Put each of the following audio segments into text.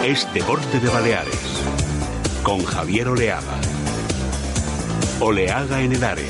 es Deporte de Baleares, con Javier Oleaga. Oleaga en el área.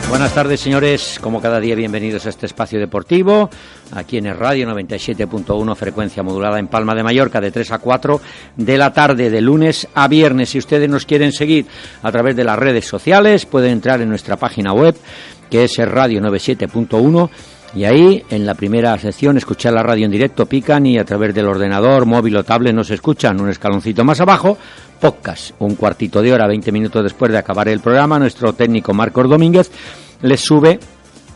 Buenas tardes, señores. Como cada día, bienvenidos a este espacio deportivo, aquí en el Radio 97.1, frecuencia modulada en Palma de Mallorca, de 3 a 4 de la tarde, de lunes a viernes. Si ustedes nos quieren seguir a través de las redes sociales, pueden entrar en nuestra página web, que es el Radio 97.1, y ahí, en la primera sección, escuchar la radio en directo, pican y a través del ordenador, móvil o tablet nos escuchan. Un escaloncito más abajo, podcast, un cuartito de hora, 20 minutos después de acabar el programa, nuestro técnico Marcos Domínguez les sube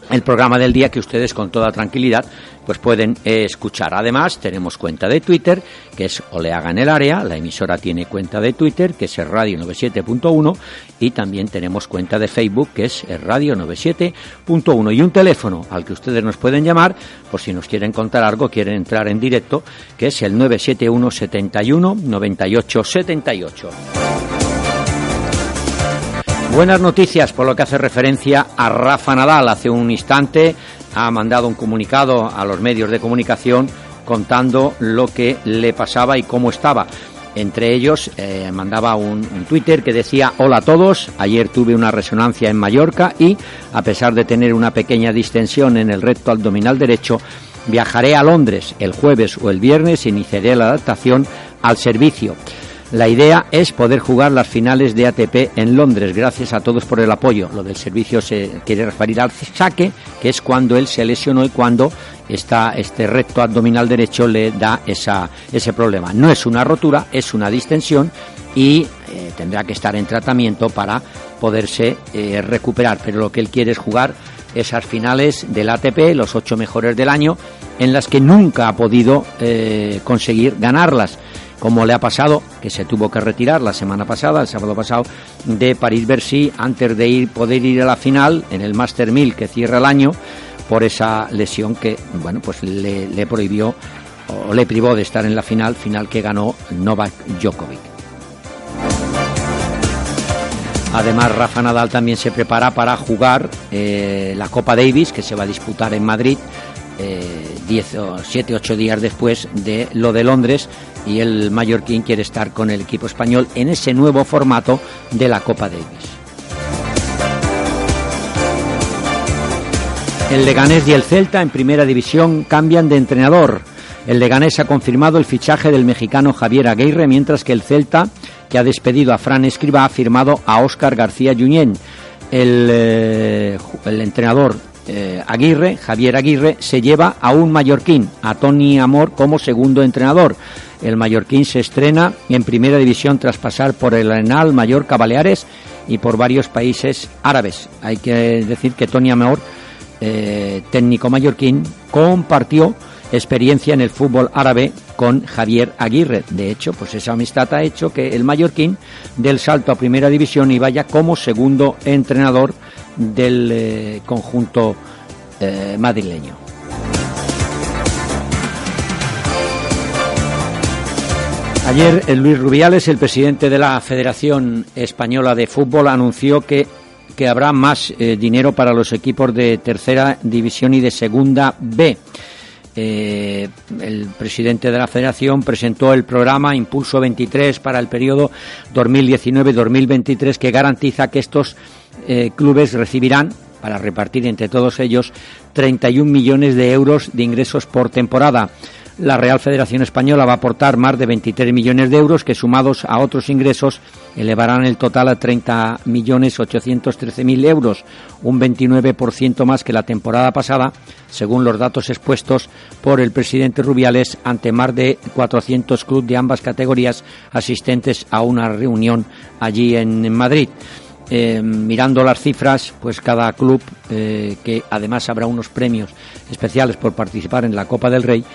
el programa del día, que ustedes con toda tranquilidad pues pueden escuchar. Además, tenemos cuenta de Twitter, que es Oleaga en el área. La emisora tiene cuenta de Twitter, que es el Radio 97.1, y también tenemos cuenta de Facebook, que es el Radio 97.1, y un teléfono al que ustedes nos pueden llamar por si nos quieren contar algo, quieren entrar en directo, que es el 971 71 98 78. Buenas noticias por lo que hace referencia a Rafa Nadal. Hace un instante ha mandado un comunicado a los medios de comunicación contando lo que le pasaba y cómo estaba. Entre ellos mandaba un Twitter que decía: hola a todos, ayer tuve una resonancia en Mallorca y, a pesar de tener una pequeña distensión en el recto abdominal derecho, viajaré a Londres el jueves o el viernes e iniciaré la adaptación al servicio. La idea es poder jugar las finales de ATP en Londres. Gracias a todos por el apoyo. Lo del servicio se quiere referir al saque, que es cuando él se lesionó y cuando este recto abdominal derecho le da ese problema. No es una rotura, es una distensión y tendrá que estar en tratamiento para poderse recuperar. Pero lo que él quiere es jugar esas finales del ATP, los 8 mejores del año, en las que nunca ha podido conseguir ganarlas, como le ha pasado, que se tuvo que retirar la semana pasada, el sábado pasado, de París-Bercy, antes de poder ir a la final en el Master 1000 que cierra el año, por esa lesión que, bueno, pues le prohibió o le privó de estar en la final que ganó Novak Djokovic. Además, Rafa Nadal también se prepara para jugar la Copa Davis, que se va a disputar en Madrid 7 o 8 días después de lo de Londres, y el mallorquín quiere estar con el equipo español en ese nuevo formato de la Copa Davis. El Leganés y el Celta en primera división cambian de entrenador. El Leganés ha confirmado el fichaje del mexicano Javier Aguirre, mientras que el Celta, que ha despedido a Fran Escribá, ha firmado a Óscar García Junyent. El entrenador Javier Aguirre, se lleva a un mallorquín, a Toni Amor, como segundo entrenador. El mallorquín se estrena en primera división tras pasar por el Arenal, Mallorca, Baleares y por varios países árabes. Hay que decir que Toni Amor, técnico mallorquín, compartió experiencia en el fútbol árabe con Javier Aguirre. De hecho, pues esa amistad ha hecho que el mallorquín dé el salto a primera división y vaya como segundo entrenador del conjunto madrileño. Ayer Luis Rubiales, el presidente de la Federación Española de Fútbol, anunció que habrá más dinero para los equipos de tercera división y de segunda B. El presidente de la Federación presentó el programa Impulso 23 para el periodo 2019-2023, que garantiza que estos clubes recibirán, para repartir entre todos ellos, 31 millones de euros de ingresos por temporada. La Real Federación Española va a aportar más de 23 millones de euros que, sumados a otros ingresos, elevarán el total a 30.813.000 euros, un 29% más que la temporada pasada, según los datos expuestos por el presidente Rubiales ante más de 400 clubes de ambas categorías asistentes a una reunión allí en Madrid. Mirando las cifras, pues cada club, que además habrá unos premios especiales por participar en la Copa del Rey,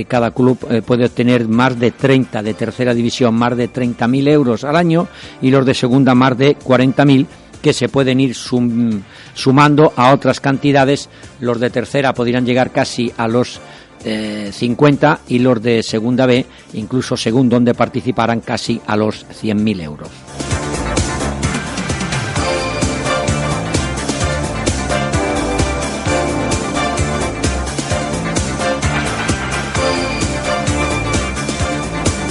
cada club puede obtener más de 30, de tercera división, más de 30.000 euros al año, y los de segunda más de 40.000, que se pueden ir sumando a otras cantidades. Los de tercera podrían llegar casi a los 50, y los de segunda B, incluso según donde participaran, casi a los 100.000 euros.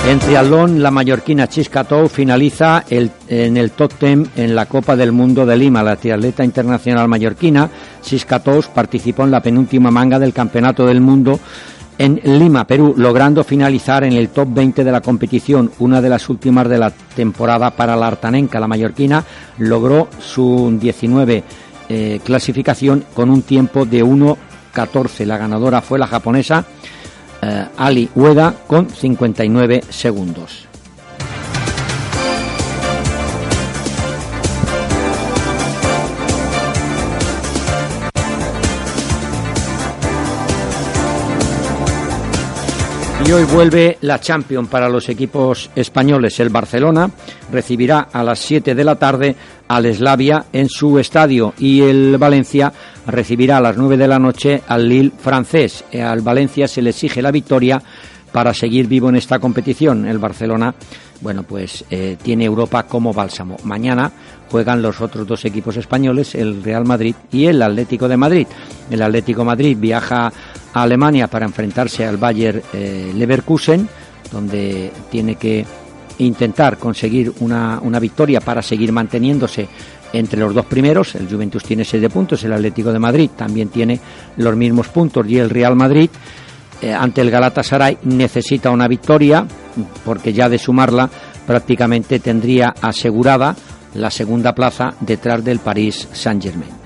En triatlón, la mallorquina Xisca Tou finaliza en el top 10 en la Copa del Mundo de Lima. La triatleta internacional mallorquina Xisca Tou participó en la penúltima manga del Campeonato del Mundo en Lima, Perú, logrando finalizar en el top 20 de la competición, una de las últimas de la temporada para la artanenca. La mallorquina logró su 19 clasificación con un tiempo de 1:14. La ganadora fue la japonesa Ali Ueda con 59 segundos. Y hoy vuelve la Champions para los equipos españoles. El Barcelona recibirá a las 7 de la tarde al Slavia en su estadio, y el Valencia recibirá a las 9 de la noche al Lille francés. Al Valencia se le exige la victoria para seguir vivo en esta competición. El Barcelona, bueno, pues tiene Europa como bálsamo. Mañana juegan los otros dos equipos españoles, el Real Madrid y el Atlético de Madrid. El Atlético de Madrid viaja a Alemania para enfrentarse al Bayer Leverkusen, donde tiene que intentar conseguir una victoria para seguir manteniéndose entre los dos primeros. El Juventus tiene 7 puntos, el Atlético de Madrid también tiene los mismos puntos, y el Real Madrid ante el Galatasaray necesita una victoria, porque ya de sumarla prácticamente tendría asegurada la segunda plaza detrás del Paris Saint-Germain.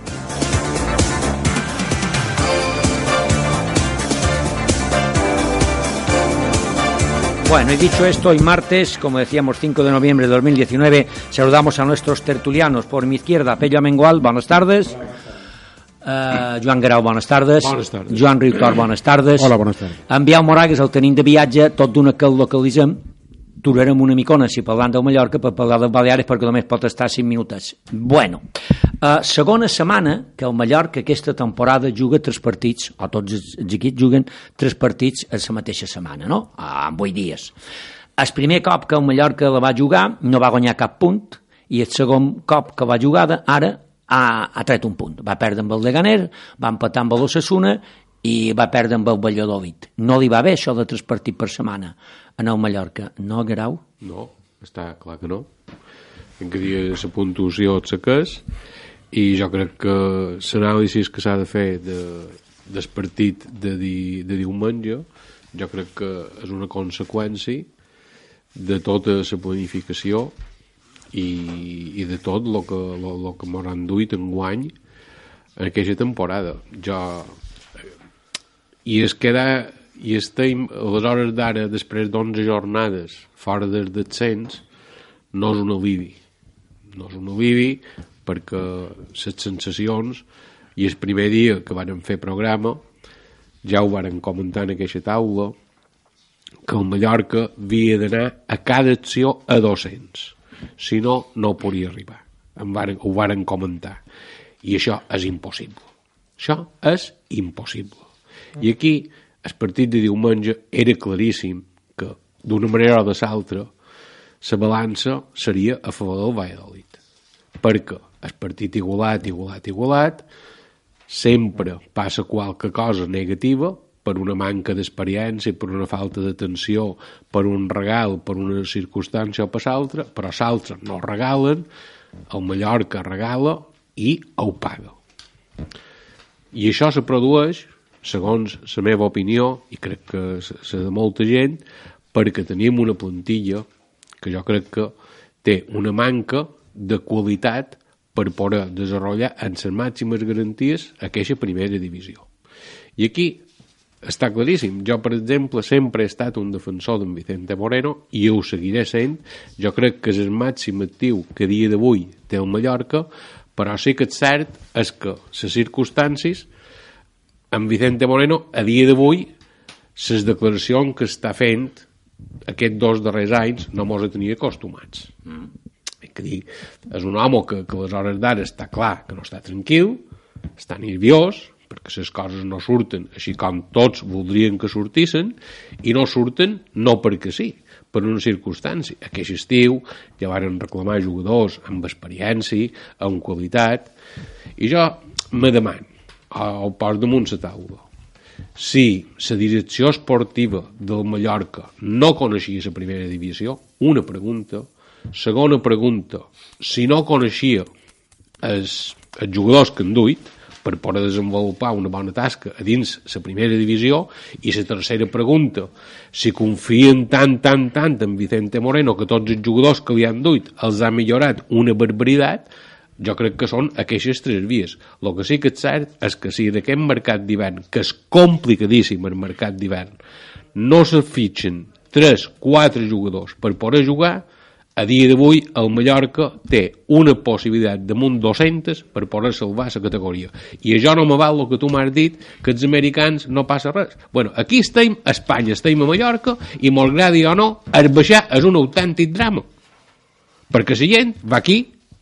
Bueno, y dicho esto, hoy martes, como decíamos, 5 de noviembre de 2019, saludamos a nuestros tertulianos. Por mi izquierda, Pello Amengual, buenas tardes. Joan Guerau, buenas tardes. Bones tardes. Joan Riutor, buenas tardes. Hola, bones tardes. En Biau Moragues, el tenint de viatge, tot d'una que el localitzem. Durarem una micona, si parlant del Mallorca, per parlar dels Balears, perquè només pot estar 5 minuts. Bueno, segona setmana que el Mallorca aquesta temporada juga 3 partits, o tots els equips juguen 3 partits a la mateixa setmana, no? En 8 dies. El primer cop que el Mallorca la va jugar no va guanyar cap punt, i el segon cop que va jugar ara ha tret un punt. Va perdre amb el Leganés, va empatar amb l'Osasuna i va perdre amb el Valladolid. No li va bé això de 3 partits per setmana en el Mallorca, no, Guerau? No, està clar que no. En que dia la puntuació et saques, i jo crec que l'anàlisi que s'ha de fer del partit de diumenge, jo crec que és una conseqüència de tota la planificació i de tot el que m'hauran duit enguany en aquesta temporada. I estem, a les hores d'ara, després d'11 jornades fora del descens, no és un alivi. No és un alivi perquè les sensacions, i el primer dia que vàrem fer programa ja ho vàrem comentar en aquesta taula, que el Mallorca havia d'anar a cada acció a 200. Si no, no podria arribar. Ho vàrem comentar. I això és impossible. Això és impossible. I aquí, el partit de diumenge era claríssim que, d'una manera o de l'altra, la balança seria a favor del Valladolid. Perquè el partit igualat, sempre passa qualque cosa negativa, per una manca d'experiència, per una falta d'atenció, per un regal, per una circumstància o per l'altra, però l'altre no regalen, el Mallorca regala i ho paga. I això se produeix segons la meva opinió, i crec que la de molta gent, perquè tenim una plantilla que jo crec que té una manca de qualitat per poder desenvolupar en les màximes garanties aquesta primera divisió. I aquí està claríssim. Jo, per exemple, sempre he estat un defensor d'en Vicente Moreno i ho seguiré sent. Jo crec que és el màxim actiu que a dia d'avui té el Mallorca, però sí que és cert és que les circumstàncies en Vicente Moreno a dia d'avui les declaracions que està fent aquests 2 darrers anys no mos tenia acostumats. Que dir, és un home que a les hores d'ara està clar que no està tranquil, està nerviós, perquè les coses no surten així com tots voldrien que sortissin, i no surten no perquè sí, per una circumstància. Aquest estiu ja van reclamar jugadors amb experiència, amb qualitat, i jo me demano, al post damunt la taula, si la direcció esportiva del Mallorca no coneixia la primera divisió, una pregunta. Segona pregunta, si no coneixia els jugadors que han duit per poder desenvolupar una bona tasca a dins la primera divisió, i la tercera pregunta, si confien tant en Vicente Moreno que tots els jugadors que li han duit els ha millorat una barbaritat, jo crec que són aquestes 3 vies. El que sí que és cert és que si d'aquest mercat d'hivern, que és complicadíssim el mercat d'hivern, no se fitxen 3-4 jugadors per poder jugar, a dia d'avui el Mallorca té una possibilitat damunt 200 per poder salvar la categoria. I això no me val el que tu m'has dit, que els americans no passa res. Bueno, aquí estem, a Espanya estem a Mallorca, i malgrat o no, el baixar és un autèntic drama. Perquè la gent va aquí,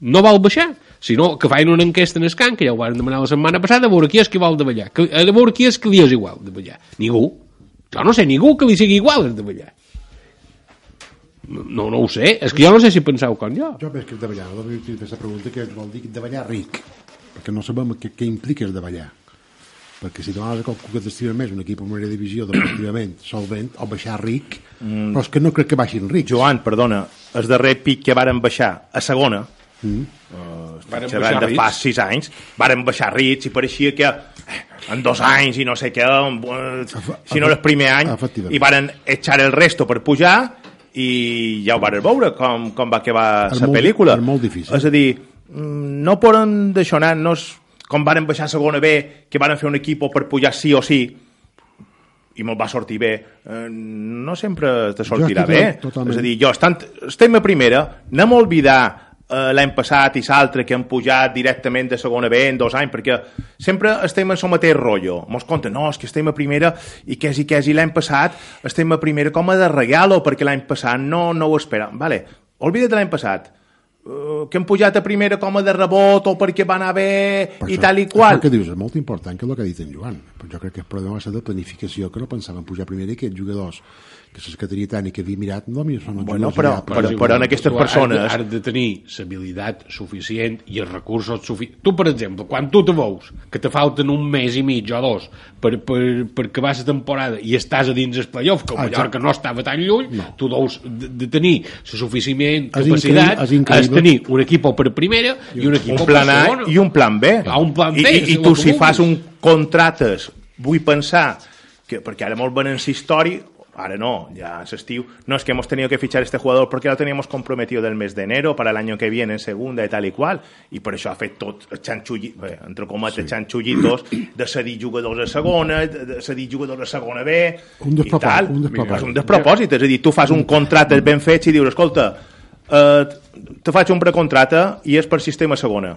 no vol baixar, sinó que fan una enquesta en el camp, que ja ho van demanar la setmana passada, a veure qui és que vol de ballar, a veure qui és que li és igual de ballar. Ningú. Jo no sé ningú que li sigui igual de ballar. No ho sé, és que jo no sé si penseu com jo. Jo veig que de ballar, no vull fer aquesta pregunta, que vol dir de ballar ric, perquè no sabem què implica el de ballar. Perquè si demanes a qualcú que t'estima més un equip en primera divisió deportivament solvent, o baixar ric, però és que no crec que baixin rics. Joan, perdona, el darrer pic que varen baixar a segona, xerrant de fa 6 anys, varen baixar rics i pareixia que en 2 anys i no sé què, si no el primer any, i varen echar el resto per pujar, i ja ho van veure com va acabar la pel·lícula. És molt difícil. És a dir, no poden deixar anar-nos com varen baixar a segona B, que varen fer un equip per pujar sí o sí, i me'l va sortir bé. No sempre te sortirà bé. És a dir, estem a primera, anem a oblidar l'any passat i l'altre que han pujat directament de segona B en 2 anys, perquè sempre estem en el mateix rotllo. Mos compten, no, és que estem a primera i quasi l'any passat estem a primera com a de regalo, perquè l'any passat no ho esperàvem. Vale, oblida't de l'any passat, que han pujat a primera com a de rebot o perquè va anar bé i tal i qual. Això que dius és molt important, que és el que ha dit en Joan. Però jo crec que el problema va ser de planificació, que no pensaven pujar a primera, i que els jugadors que és que tenia tant i que havia mirat, no, són bueno, però en aquestes persones has de tenir l'habilitat suficient i els recursos suficients. Tu, per exemple, quan tu te veus que te falten 1 mes i mig o 2 per acabar la temporada i estàs a dins el playoff, que el Mallorca no estava tan lluny, tu deus de tenir la suficient capacitat, has de tenir un equip per primera i un equip per segona. I un plan B. Un plan B. I tu, si fas un contractes, vull pensar que, perquè ara molt ben en la història, ahora no, ya en estiu, no, es que hemos tenido que fichar este jugador porque lo teníamos comprometido del mes de enero para el año que viene en segunda y tal y cual, i per això ha fet tot entre cometes, xanxullitos de cedir jugadors a segona, de cedir jugadors a segona B i tal. És un despropòsit, és a dir, tu fas un contracte ben fet i dius, escolta, te faig un precontracte i és per sistema segona.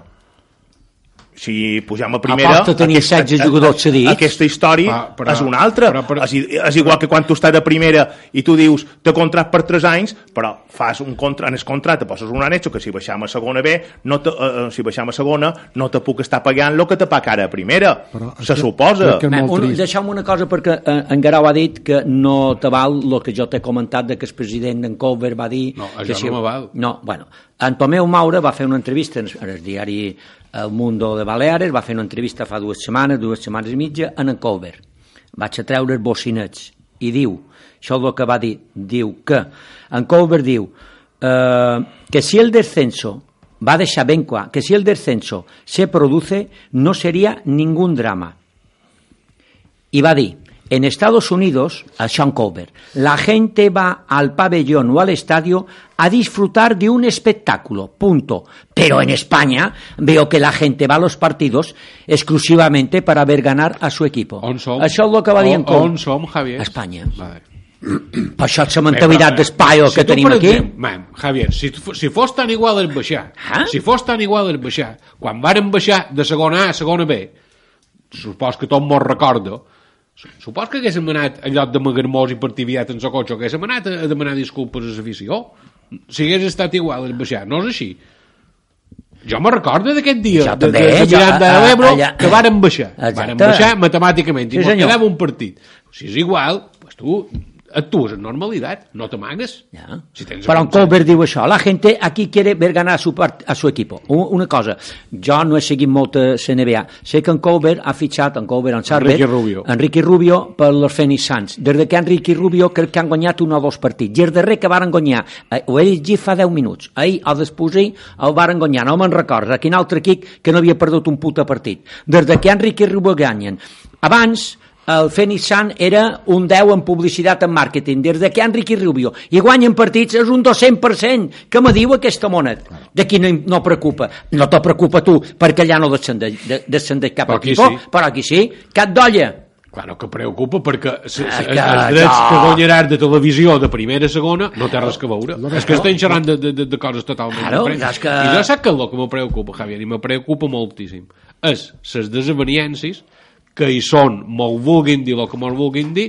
Si pujam a primera, aquesta història és una altra. És igual que quan tu estàs a primera i tu dius te contracte per 3 anys, però fas un contracte, en el contracte poses un anexo que si baixam a segona B, si baixam a segona no te puc estar pagant el que te paga ara a primera, se suposa. Deixa'm una cosa, perquè en Guerau ha dit que no te val el que jo t'he comentat de que el president d'en Cover va dir... No, això no me val. No, bueno, en Tomeu Maura va fer una entrevista en el diari El Mundo de Baleares, va fer una entrevista fa 2 setmanes i mitja, en Cover. Vaig a treure els bocinets i diu, això és el que va dir, diu que, en Cover diu que si el descenso, va deixar ben clar, que si el descenso se produce no sería ningún drama. i va dir: en Estados Unidos, a Sean Colbert, la gente va al pabellón o al estadio a disfrutar de un espectáculo, punto. Pero en España veo que la gente va a los partidos exclusivamente para ver ganar a su equipo. Això és el que va dir en Colbert. On som, Javier? A Espanya. Vale. Per això és la mentalitat d'espaio que tenim aquí. Javier, si fos tan igual és baixar. Si fos tan igual és baixar. Quan varen baixar de segona A a segona B, supos que tot mos recorda, supos que haguéssim anat en lloc de magarmós i partir aviat en el cotxe, haguéssim anat a demanar disculpes a l'afició. Si hagués estat igual és baixar. No és així. Jo me recordo d'aquest dia de Miranda de l'Ebro que varen baixar. Varen baixar matemàticament i mos quedava un partit. Si és igual, pues tu actúes en normalitat, no t'amagues. Ja. Si però en Colbert diu això, la gente aquí quiere ver ganar a su equipo. Una cosa, jo no he seguit molt a CNBA, sé que en Colbert ha fitxat, en Sarver, Enrique Rubio per los Phoenix Suns. Des que Enrique Rubio crec que han guanyat un o dos partits. I el darrer que varen guanyar, ho he llegit fa 10 minuts, ahir o després el varen guanyar, no me'n recordo, quin altre equip que no havia perdut un puta partit. Des que Enrique Rubio guanyen. Abans, el Phoenix Sun era un 10 en publicitat en màrqueting, des que Enrique Rubio i guanyen partits és un 200%. Què me diu aquesta monet? D'aquí no preocupa. No te preocupa tu, perquè allà no descendeix cap equip, però aquí sí, cap d'olla. Claro que preocupa, perquè els drets que guanyaràs de televisió de primera a segona no té res que veure. És que estem xerrant de coses totalment diferents. I jo sap que el que me preocupa, Javier, i me preocupa moltíssim, és les desavenències que hi són, me'l vulguin dir el que me'l vulguin dir,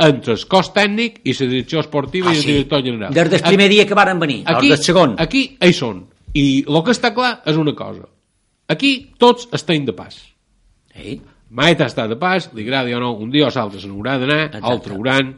entre el cos tècnic i la direcció esportiva i el director general. Des del primer dia que varen venir, del segon. Aquí hi són. I el que està clar és una cosa. Aquí tots estem de pas. Maeta està de pas, li agradi o no, un dia o l'altre se n'haurà d'anar, el trauran.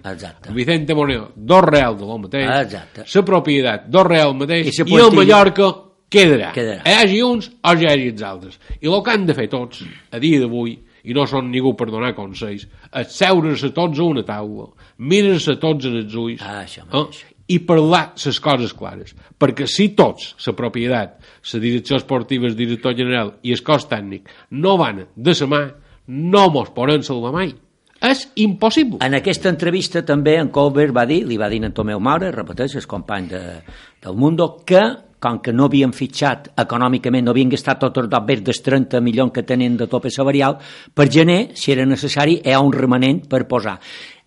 Vicente Moreno, dos real de lo mateix. La propietat, dos real mateix. I el Mallorca quedarà. Hi hagi uns o hi hagi els altres. I el que han de fer tots, a dia d'avui, i no són ningú per donar consells, asseure's tots a una taula, mirar-se tots en els ulls i parlar les coses clares. Perquè si tots, la propietat, la direcció esportiva, el director general i el cos tècnic no van de la mà, no mos poden salvar mai. És impossible. En aquesta entrevista també en Colbert va dir, li va dir a Tomeu Maura, repeteix, el company del Mundo, que com que no havien fitxat econòmicament, no havien gastat tot el més dels 30 milions que tenen de tope salarial, per gener, si era necessari, hi ha un remanent per posar.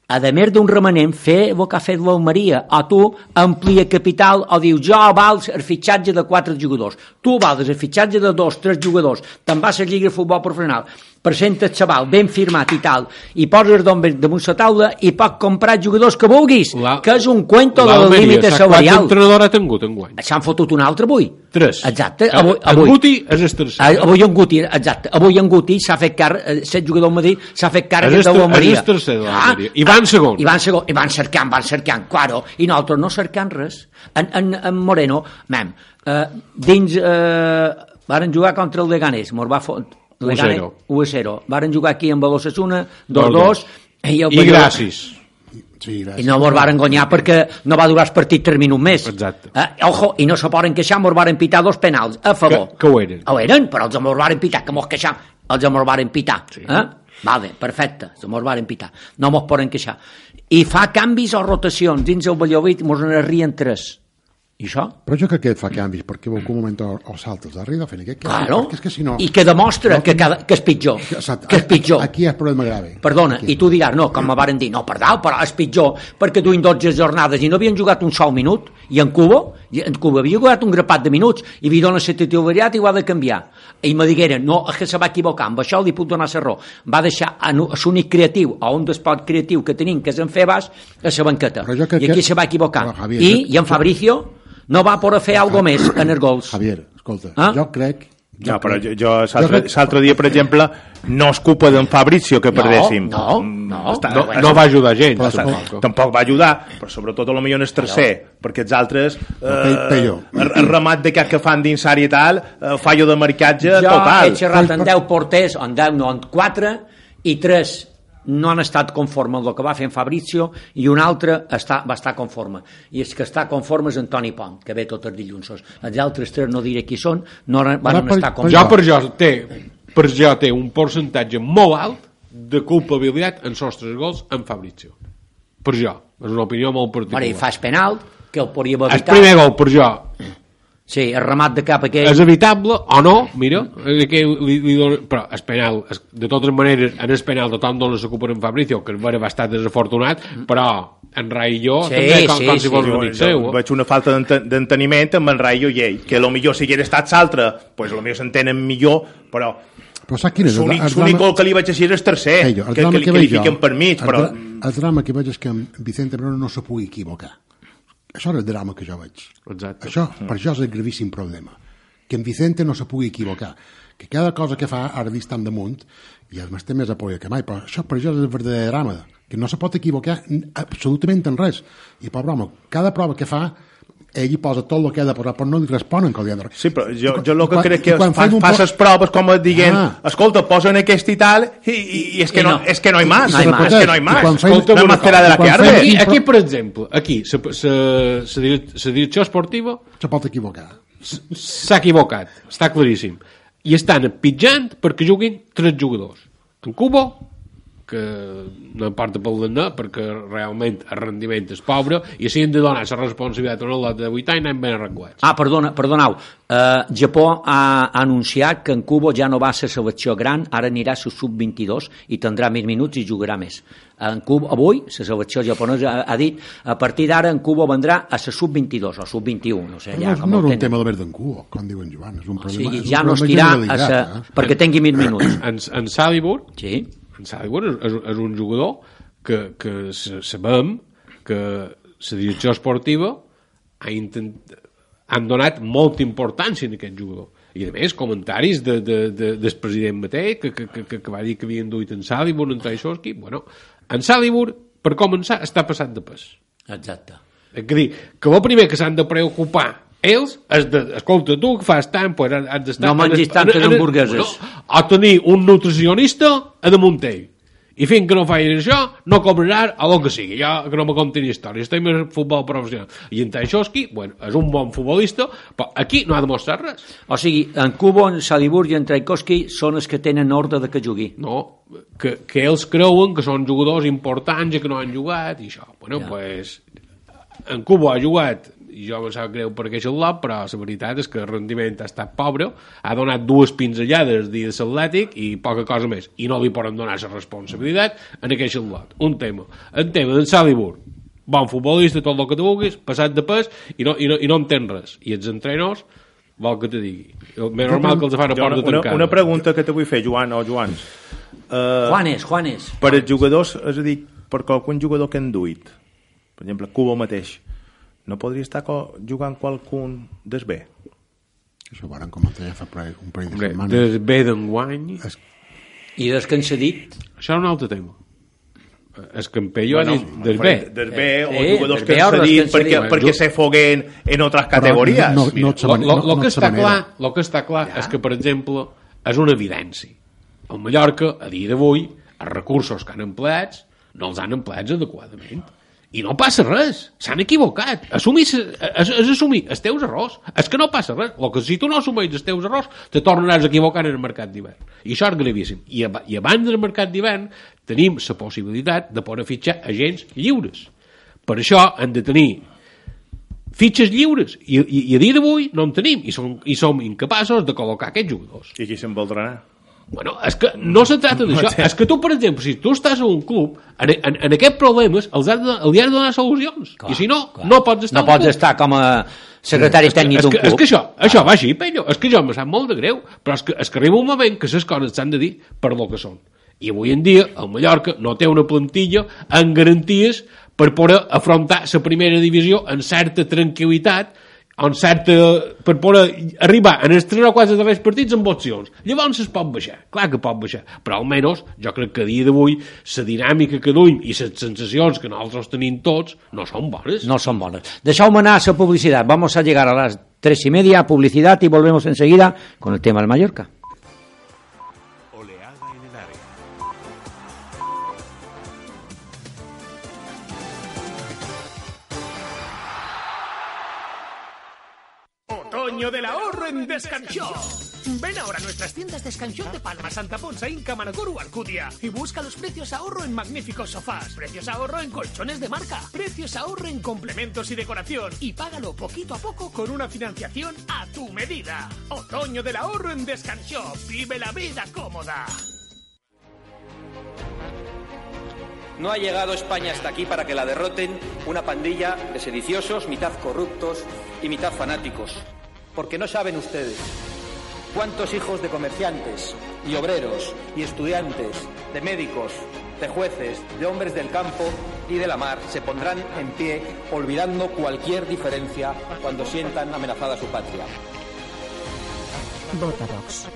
A més d'un remanent, fer el que ha fet l'Almeria, o tu amplia capital o dius, jo vals el fitxatge de 4 jugadors, tu vals el fitxatge de 2, 3 jugadors, te'n vas a la Lliga de Futbol Professional, presenta el xaval ben firmat i tal, i poses damunt la taula i pots comprar jugadors que vulguis, que és un cuento del límit salarial. Quants entrenadors ha tingut enguany? S'han fotut un altre avui. 3. Exacte. En Guti és el tercer. Avui en Guti, exacte. Avui en Guti s'ha fet càrrec, set jugador del Madrid, s'ha fet càrrec de l'Almeria. És el tercer de l'Almeria. I van segon. I van cercant, claro. I nosaltres no cercant res. En Moreno, dins, varen jugar contra el Leganés, mos va fotre 1-0. Varen jugar aquí amb l'Osasuna 2-2 i gràcies. I no mos varen guanyar perquè no va durar el partit 3 minuts més. Exacte. Ojo, i no se poden queixar, mos varen pitar 2 penals a favor. Que ho eren. Ho eren, però els mos varen pitar, que mos queixam, els mos varen pitar. Vale, perfecte, els mos varen pitar. No mos poden queixar. I fa canvis o rotacions dins el Valladolid, mos n'arrien 3. I això? Però jo crec que fa canvis perquè en algun moment o saltes darrere fent aquest canvi, claro. Perquè és que si no... I que demostra que és pitjor. Que és pitjor. Aquí hi ha problema grave. Perdona, i tu diràs, no, com me varen dir, no, perdó, però és pitjor perquè duien 12 jornades i no havien jugat un sol minut, i en Cuba havia jugat un grapat de minuts i li dona la titularitat i ho ha de canviar. I me digueren, no, és que se va equivocar, amb això li puc donar la raó. Va deixar l'únic creatiu, o un despot creatiu que tenim, que és en Febas, a la banqueta. I aquí se va equivocar. I en Fabricio no va poder fer alguna més en els gols. Javier, escolta, jo crec... No, però jo l'altre dia, per exemple, no és culpa d'en Fabrizio que perdéssim. No va ajudar gens. Tampoc va ajudar, però sobretot potser en el tercer, perquè els altres el remat d'aquest que fan dins àrea i tal, fallo de marcatge total. Jo he xerrat en 10 porters, en 10 no, en 4, i 3 no han estat conforme amb el que va fer en Fabrizio i un altre va estar conforme, i és que està conforme és Antoni Pont, que ve tots els dilluns. Els altres 3 no diré qui són, no van estar conformes. Per jo té un percentatge molt alt de culpabilitat en els 3 gols en Fabrizio. Per jo, és una opinió molt particular. I fas penal, que el podria haver El evitat. primer gol, per jo, Sí, el remat de cap aquell. és evitable o no, mira, li dono, però el penal, de totes maneres, en el penal tothom dona la culpa en Fabrizio, que va estar desafortunat, però en Rai i jo també, com si fos un amic seu. Veig una falta d'enteniment amb en Rai i ell, que potser si hagués estat l'altre, pues potser s'entenen millor, però saps quin és? l'únic gol que li vaig així és el tercer, que li fiquen per mig, però... El drama que veig és que en Vicente Bruno no se pugui equivocar. Això és el drama que jo veig. Exacte. Això, per això és el gravíssim problema. Que en Vicente no se pugui equivocar. Que cada cosa que fa ara està damunt i el té més apoya que mai, però això per això és el verdader drama, que no se pot equivocar absolutament en res. I pobre home, cada prova que fa ell hi posa tot el que ha de posar, però no li responen que li ha de... Sí, però jo el que crec que fas les proves com et diguent, escolta, posen aquest i tal, i és que no hi más. És que no hi más. Escolta, no m'espera de la que arde. Aquí, per exemple, aquí, la direcció esportiva se pot equivocar. S'ha equivocat, està claríssim. I estan pitjant perquè juguin 3 jugadors. En Cubo, que no importa pel d'anar perquè realment el rendiment és pobre i si hem de donar la responsabilitat a un lot de 8 anys anem ben arreglats. Perdoneu, Japó ha anunciat que en Cubo ja no va a la selecció gran, ara anirà a la sub-22 i tindrà més minuts i jugarà més. En Cubo, avui, la selecció japonesa ha dit a partir d'ara en Cubo vendrà a la sub-22 o sub-21, no sé. Ja, no és un tema de verd en Cubo, com diuen Joan, és un problema. O sigui, ja no es tirà perquè tingui més minuts. En Salibur, sí. En Salibur és un jugador que sabem que la direcció esportiva han donat molta importància en aquest jugador. I a més, comentaris del president mateix que va dir que havien duit en Salibur, en Taisovski. Bueno, en Salibur, per començar, està passat de pes. Exacte. És a dir, que el primer que s'han de preocupar ells és de, escolta, tu que fas tant, pues has d'estar... No mengis tantes hamburgueses. O tenir un nutricionista a damunt ell. I fins que no facis això, no cobraràs a lo que sigui. Ja que no me contin històries, estem en futbol professional. I en Taisovski, bueno, és un bon futbolista, però aquí no ha demostrat res. O sigui, en Cubo, en Salibur i en Taisovski són els que tenen ordre de que jugui. No, que ells creuen que són jugadors importants i que no han jugat, i això. Bueno, ja. Pues, en Cubo ha jugat, i jo me sap greu per aquest lot, però la veritat és que el rendiment ha estat pobre, ha donat 2 pinzellades dins l'Atlètic i poca cosa més, i no li poden donar la responsabilitat en aquest lot. Un tema. El tema d'en Salibur, bon futbolista, tot el que tu vulguis, passat de pes, i no entén res. I els entrenadors, vol que te digui. Més normal que els fan a porta tancada. Una pregunta que te vull fer, Joan o Joans. Juanes. Per als jugadors, és a dir, per qualcun jugador que han duit, per exemple, Cubo mateix, no podria estar jugant qualcun des B? Això ho van comentar ja fa un parell de setmanes. Des B d'enguany... I des que han cedit? Això és un altre tema. El Campello ha dit des B. Des B, o jugadors que han cedit perquè se foguen en altres categories. Lo que està clar és que, per exemple, és una evidència. El Mallorca, a dia d'avui, els recursos que han empleats no els han empleats adequadament. I no passa res, s'han equivocat. Assumir els teus errors. És que no passa res. Que si tu no assumeix els teus errors, te tornaràs a equivocar en el mercat d'hivern. I això és gravíssim. I abans del mercat d'hivern tenim la possibilitat de poder fitxar agents lliures. Per això hem de tenir fitxes lliures. I a dia d'avui no en tenim. I som incapaços de col·locar aquests jugadors. I qui se'n voldrà anar? Bueno, és que no se trata d'això. És que tu, per exemple, si tu estàs a un club, en aquests problemes els has de donar solucions. Clar, i si no, no pots estar no pots estar com a secretari tècnic d'un club. És que això va així, Pello. És que jo me sap molt de greu. Però és que arriba un moment que les coses s'han de dir per lo que són. I avui en dia el Mallorca no té una plantilla amb garanties per poder afrontar la primera divisió amb certa tranquil·litat, per poder arribar en els 3 o 4 darrers partits amb opcions. Llavors es pot baixar, clar que pot baixar, però almenys jo crec que a dia d'avui la dinàmica que duim i les sensacions que nosaltres tenim tots no són bones. No son bones. Deixeu-me anar a la publicitat. Vamos a llegar a las 3:30, publicidad, y volvemos enseguida con el tema del Mallorca. Otoño del ahorro en Descanshop. Ven ahora a nuestras tiendas de Scanshop de Palma, Santa Ponsa, Inca, Manacor o Alcudia y busca los precios ahorro en magníficos sofás, precios ahorro en colchones de marca, precios ahorro en complementos y decoración y págalo poquito a poco con una financiación a tu medida. Otoño del ahorro en Descanshop. Vive la vida cómoda. No ha llegado España hasta aquí para que la derroten una pandilla de sediciosos, mitad corruptos y mitad fanáticos. Porque no saben ustedes cuántos hijos de comerciantes y obreros y estudiantes, de médicos, de jueces, de hombres del campo y de la mar se pondrán en pie olvidando cualquier diferencia cuando sientan amenazada su patria. Vota Vox.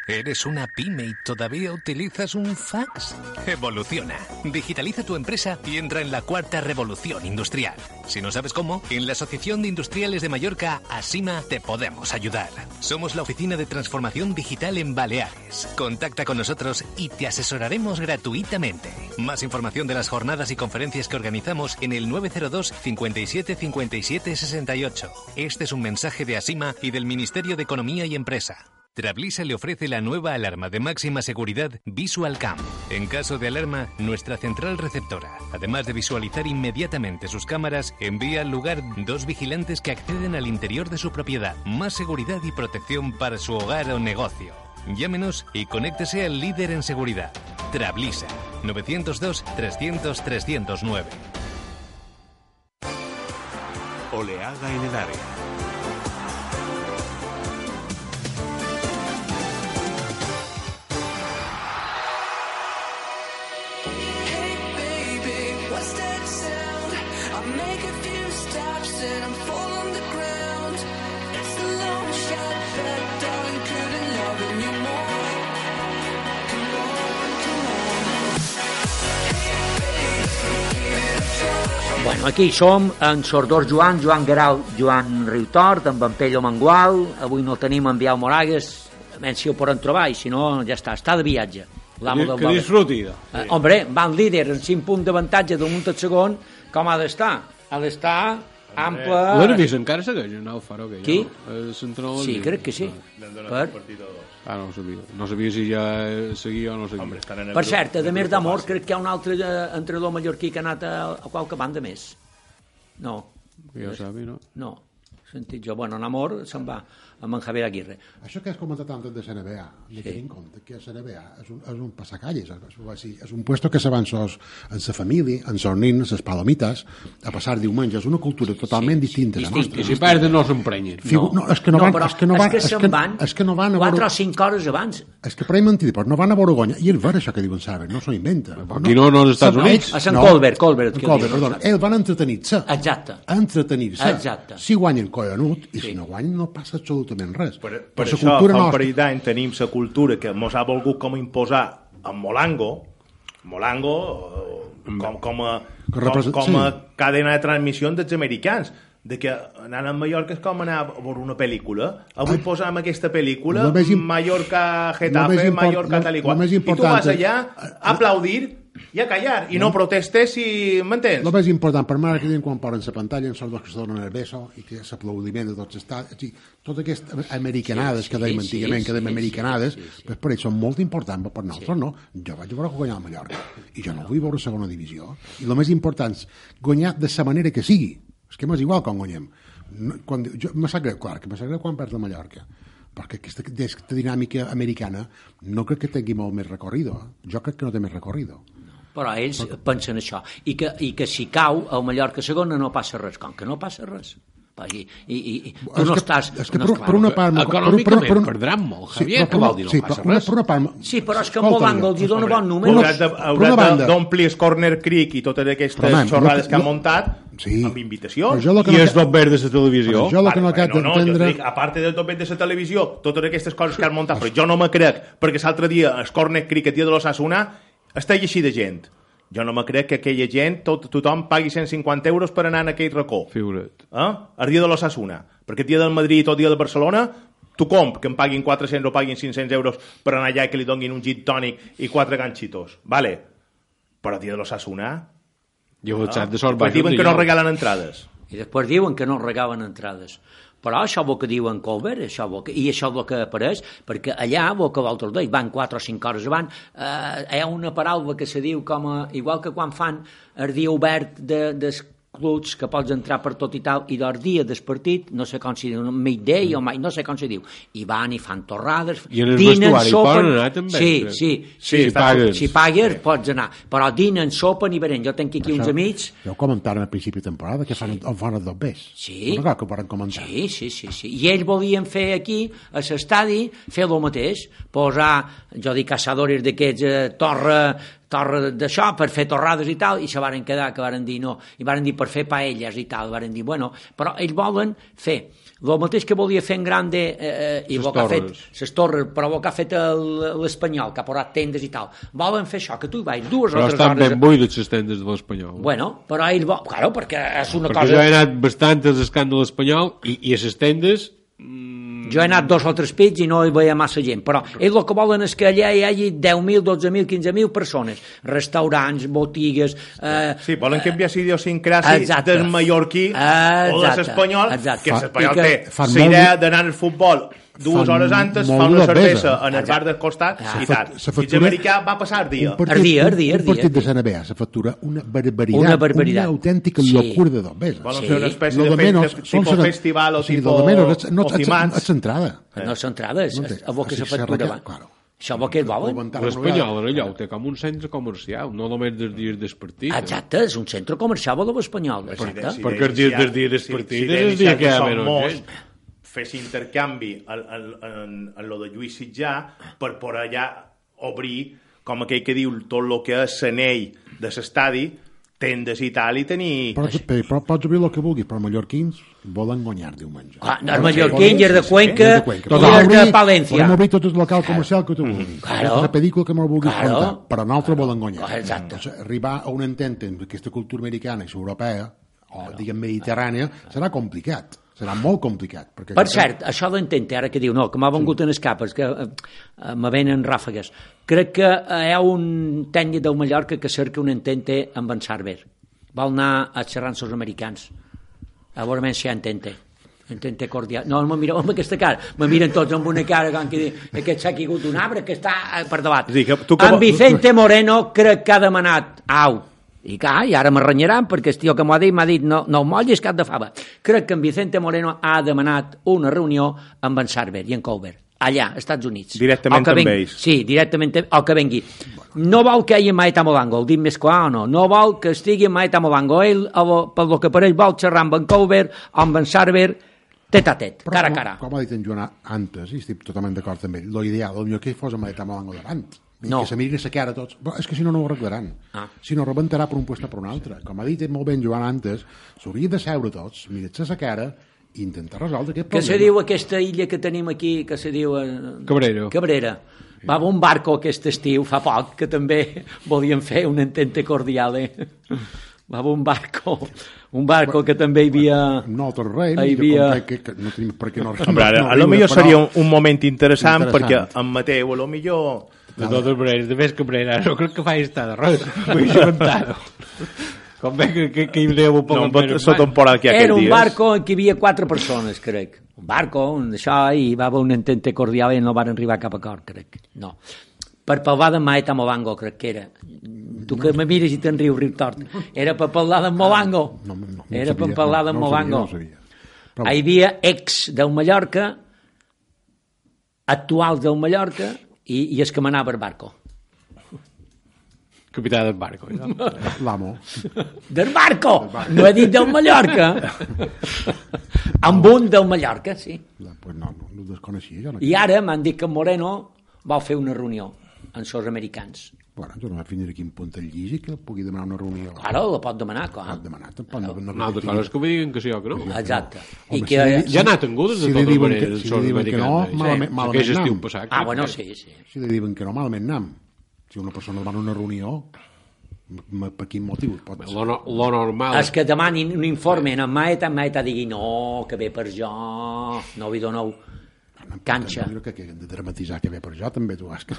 ¿Eres una pyme y todavía utilizas un fax? Evoluciona. Digitaliza tu empresa y entra en la cuarta revolución industrial. Si no sabes cómo, en la Asociación de Industriales de Mallorca, ASIMA, te podemos ayudar. Somos la oficina de transformación digital en Baleares. Contacta con nosotros y te asesoraremos gratuitamente. Más información de las jornadas y conferencias que organizamos en el 902 57 57 68. Este es un mensaje de ASIMA y del Ministerio de Economía y Empresa. Trablisa le ofrece la nueva alarma de máxima seguridad VisualCam. En caso de alarma, nuestra central receptora, además de visualizar inmediatamente sus cámaras, envía al lugar 2 vigilantes que acceden al interior de su propiedad. Más seguridad y protección para su hogar o negocio. Llámenos y conéctese al líder en seguridad. Trablisa. 902 300 309. Oleada en el área. Bueno, aquí som en Sordor Joan Guerau, Joan Riutort, amb en Pello Mangual. Avui no tenim en Biau Moragues, menys si ho podem trobar, i si no, ja està de viatge. Que disfruti. Hombre, van líder en 5 punts d'avantatge d'un munt al segon, com ha d'estar? Ha d'estar ample... L'Hervis encara segueix en el Faro? Qui? Sí, crec que sí. No ho sabia. No sabia si ja seguia o no seguia. Per cert, a més d'Amor, crec que hi ha un altre entrenador mallorquí que ha anat a qualque banda més. No. Ja ho sabi, no? No. Sentit jo. Bueno, en Amor se'n va amb en Javier Aguirre. Això que has comentat antes de CNBA, de tenir en compte que CNBA és un passacalles, és un puesto que se van en sa família, en sos nins, ses palomites, a passar diumenges, una cultura totalment distinta a la nostra. I si perden no s'emprenyen. No, és que se'n van 4 o 5 hores abans. És que per ahí mentida, però no van a Borgonya, i és ver això que diuen saber, no s'ho inventa. Aquí no als Estats Units. A Sant Colbert. Perdona, ells van entretenir-se. Exacte. Entretenir-se. Si guanyen collonut, i si no guanyen no passa absolutament res. Per això, fa un parell d'any tenim la cultura que ens ha volgut com imposar en Molango com a cadena de transmissió dels americans, de que anant a Mallorca és com anar a veure una pel·lícula. Avui posam aquesta pel·lícula, Mallorca Getafe, Mallorca tal i qual, i tu vas allà a aplaudir i a callar, i no protestes, si m'entens? El més important per marketing, quan posen la pantalla, són dos que se donen el beso i que és l'aplaudiment de tots els estats, totes aquestes americanades que dèiem antigament, que dèiem americanades, per ells són molt importants, per nosaltres no. Jo vaig veure guanyar a Mallorca i jo no vull veure segona divisió, i el més important és guanyar de la manera que sigui. És que m'és igual quan guanyem. Me sap greu, clar, que me sap greu quan perds la Mallorca, perquè aquesta dinàmica americana no crec que tingui molt més recorrido. Jo crec que no té més recorrido. Però ells pensen això. I que si cau el Mallorca segona no passa res. Com que no passa res? I tu no estàs... Per una part... Econòmicament perdran molt, Javier, que vol dir no passa res. Sí, però és que Molango els dona bon número. Hauràs d'omplir Corner Creek i totes aquestes xorrades que han muntat amb invitacions. I és tot verd de la televisió. A part del tot verd de la televisió, totes aquestes coses que han muntat, però jo no me crec, perquè l'altre dia el Corner Creek, el dia de l'Osasuna, està així de gent. Jo no me crec que aquella gent, tothom pagui 150 euros per anar en aquell racó. Figura't. El dia de l'Osasuna. Perquè el dia del Madrid o el dia de Barcelona, tothom que em paguin 400 o paguin 500 euros per anar allà i que li donin un gin tònic i 4 ganxitos. Vale. Però el dia de l'Osasuna... I el xat de sort diuen que no regalen entrades. I després diuen que no regalen entrades. Però això és el que diu en Colbert, i això és el que apareix, perquè allà, el que l'altre dia, van 4 o 5 hores abans, hi ha una paraula que se diu igual que quan fan el dia obert dels clubs que pots entrar per tot i tal, i del dia del partit, no sé com s'hi diu, midday o mai, no sé com s'hi diu, i van i fan torrades, i en el dinen, vestuari poden anar també? Si pagues pots anar, però dinen, sopen i venen. Jo tenc aquí uns amics... Ja ho comentàrem al principi de temporada, que fan els dobbers. Sí. No que ho poden comentar. Sí. I ells volien fer aquí, a l'estadi, fer el mateix, posar, jo dic, caçadores d'aquests torre d'això, per fer torrades i tal, i se varen quedar, que varen dir no, i varen dir per fer paelles i tal, varen dir, bueno, però ells volen fer el mateix que volia fer en Grande i el que ha fet les torres, però el que ha fet l'Espanyol, que ha posat tendes i tal, volen fer això, que tu hi vagis 2 o 3 hores... Però estan ben buides les tendes de l'Espanyol. Bueno, però ells volen... Claro, perquè és una cosa... Perquè jo he anat bastant als escàndol espanyol i a les tendes... Jo he anat 2 o 3 pits i no hi veia massa gent, però ells el que volen és que allà hi hagi 10.000, 12.000, 15.000 persones, restaurants, botigues... Sí, volen canviar l'idiosincràsia del mallorquí o de l'espanyol, que l'espanyol té la idea d'anar al futbol 2 hores antes, fa una cervesa en el bar del costat i tal. I l'americà va passar el dia. Un partit de Sant Abella se factura una barbaritat, una autèntica locura de dobbers. Volen fer una espècie de tipus festival o tipus Ocimans. És centrada. No és centrada, és el que se factura abans. Això és el que volen. L'Espanyol, allò, té com un centre comercial, no només dels dies del partit. Exacte, és un centre comercial de l'Espanyol. Perquè els dies dels partits és el dia que hi ha menys gent. Fes intercanvi en lo de Lluís Sitjà per poder allà obrir, com aquell que diu, tot el que és l'anell de l'estadi, tendes i tal, i tenir... Però pots obrir el que vulguis, però els mallorquins volen guanyar diumenge. Els mallorquins, els de Cuenca, i els de Palència. Podem obrir tot el local comercial que tu vulguis. La pel·lícula que no vulguis contar, però nosaltres volen guanyar. Arribar a un entente amb aquesta cultura americana i europea, o diguem mediterrània, serà complicat. Serà molt complicat. Per cert, això d'entente, ara que diu, no, que m'ha vengut en escapes, que me venen ràfegues. Crec que hi ha un tècnic del Mallorca que cerca un entente amb en Sarver. Vol anar a xerrar amb els americans. A veure si hi ha entente. Entente cordial. No, me mireu amb aquesta cara. Me miren tots amb una cara com que aquest s'ha caigut un arbre que està per davant. En Vicente Moreno crec que ha demanat i ara m'arranyaran perquè el tio que m'ha dit no mollis cap de fava. Crec que en Vicente Moreno ha demanat una reunió amb en Sarver i en Colbert, allà, als Estats Units. Directament amb ells. Sí, directament, o que vengui. No vol que hi hagi Maeta Molango, el dic més clar o no. No vol que estigui Maeta Molango. Ell, pel que per ell, vol xerrar amb en Colbert o amb en Sarver, tet a tet, cara a cara. Com ha dit en Joan antes, i estic totalment d'acord amb ell, l'ideal, el millor que hi fos amb Maeta Molango davant. No. Que se mirin la cara tots. Però és que si no, no ho arreglaran. Si no, rebentarà per un lloc per un altre. Com ha dit molt ben Joan antes, s'hauria de seure tots, mirar-se la cara i intentar resoldre aquest problema. Que se diu aquesta illa que tenim aquí, que se diu... Cabrera. Va un barco aquest estiu, fa poc, que també volien fer un entente cordial, Va un barco que també hi havia... No, tot res, no tenim per què no... A lo millor seria un moment interessant perquè en Mateu, a lo millor... De totes maneres, de més Cabrera, no crec que faci estar de res, vull inventado. Com ve que hi deu un poc més temporada que era un barco en què hi havia 4 persones, crec. Un barco, això, i va haver un entente cordial i no van arribar a cap acord, crec. No. Per parlar de Maeta Molango, crec que era. Tu que me mires i te'n riu tort. Era per parlar d'en Molango. Era per parlar d'en Molango. Hi havia ex del Mallorca, actuals del Mallorca, i es que manava el barco. Capità del barco. L'amo. Del barco! No he dit del Mallorca. Amb un del Mallorca, sí. Pues no desconeixia. I ara m'han dit que Moreno va fer una reunió amb els americans. Bueno, jo no vaig fins aquí en punt del llis que pugui demanar una reunió. Claro, la pot demanar, clar. Pot demanar. Altra cosa és que me diguen que sí o que no. Exacte. I que ja ha anat tingudes de totes maneres. Si li diuen que no, malament nam. Bueno, sí. Si li diuen que no, malament nam. Si una persona demana una reunió, per quin motiu? Lo normal... És que demanin un informe en Maeta digui no, que ve per jo, no vi doneu. canxa. Jo crec que hem de dramatitzar que ve per jo també, tu, Òscar.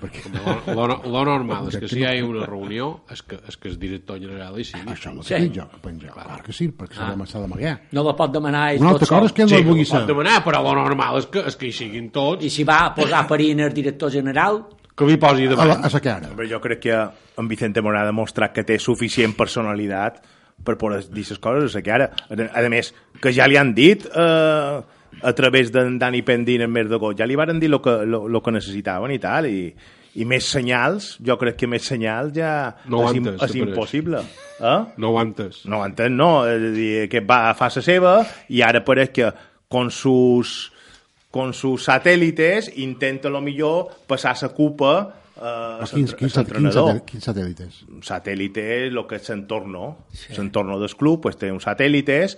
Perquè... Lo normal és que si hi ha una reunió és que el director general hi sigui. Això és el que jo penjo. Clar que sí, perquè s'ha d'amagar. No la pot demanar ell Una tot altra cosa és que ell no el vulgui Sí, ho ser. pot demanar, però lo normal és que hi siguin tots. I si va a posar perina el director general, Que li posi davant. A sa cara. Però jo crec que en Vicente Moreno ha demostrat que té suficient personalitat per poder dir les coses a sa cara. A més, que ja li han dit a través d'en Dani Pendín en Més de Gol, ja li varen dir lo que necessitaven i tal, i més senyals, jo crec que més senyals ja no és impossible. No ho entès. No ho entès, no. És a dir, que fa la seva i ara pareix que con sus satélites intenta lo millor passar la culpa Quins satèl·lites? Un satèl·lite és el que és l'entorno. Sí. L'entorno del club pues, té uns satèl·lites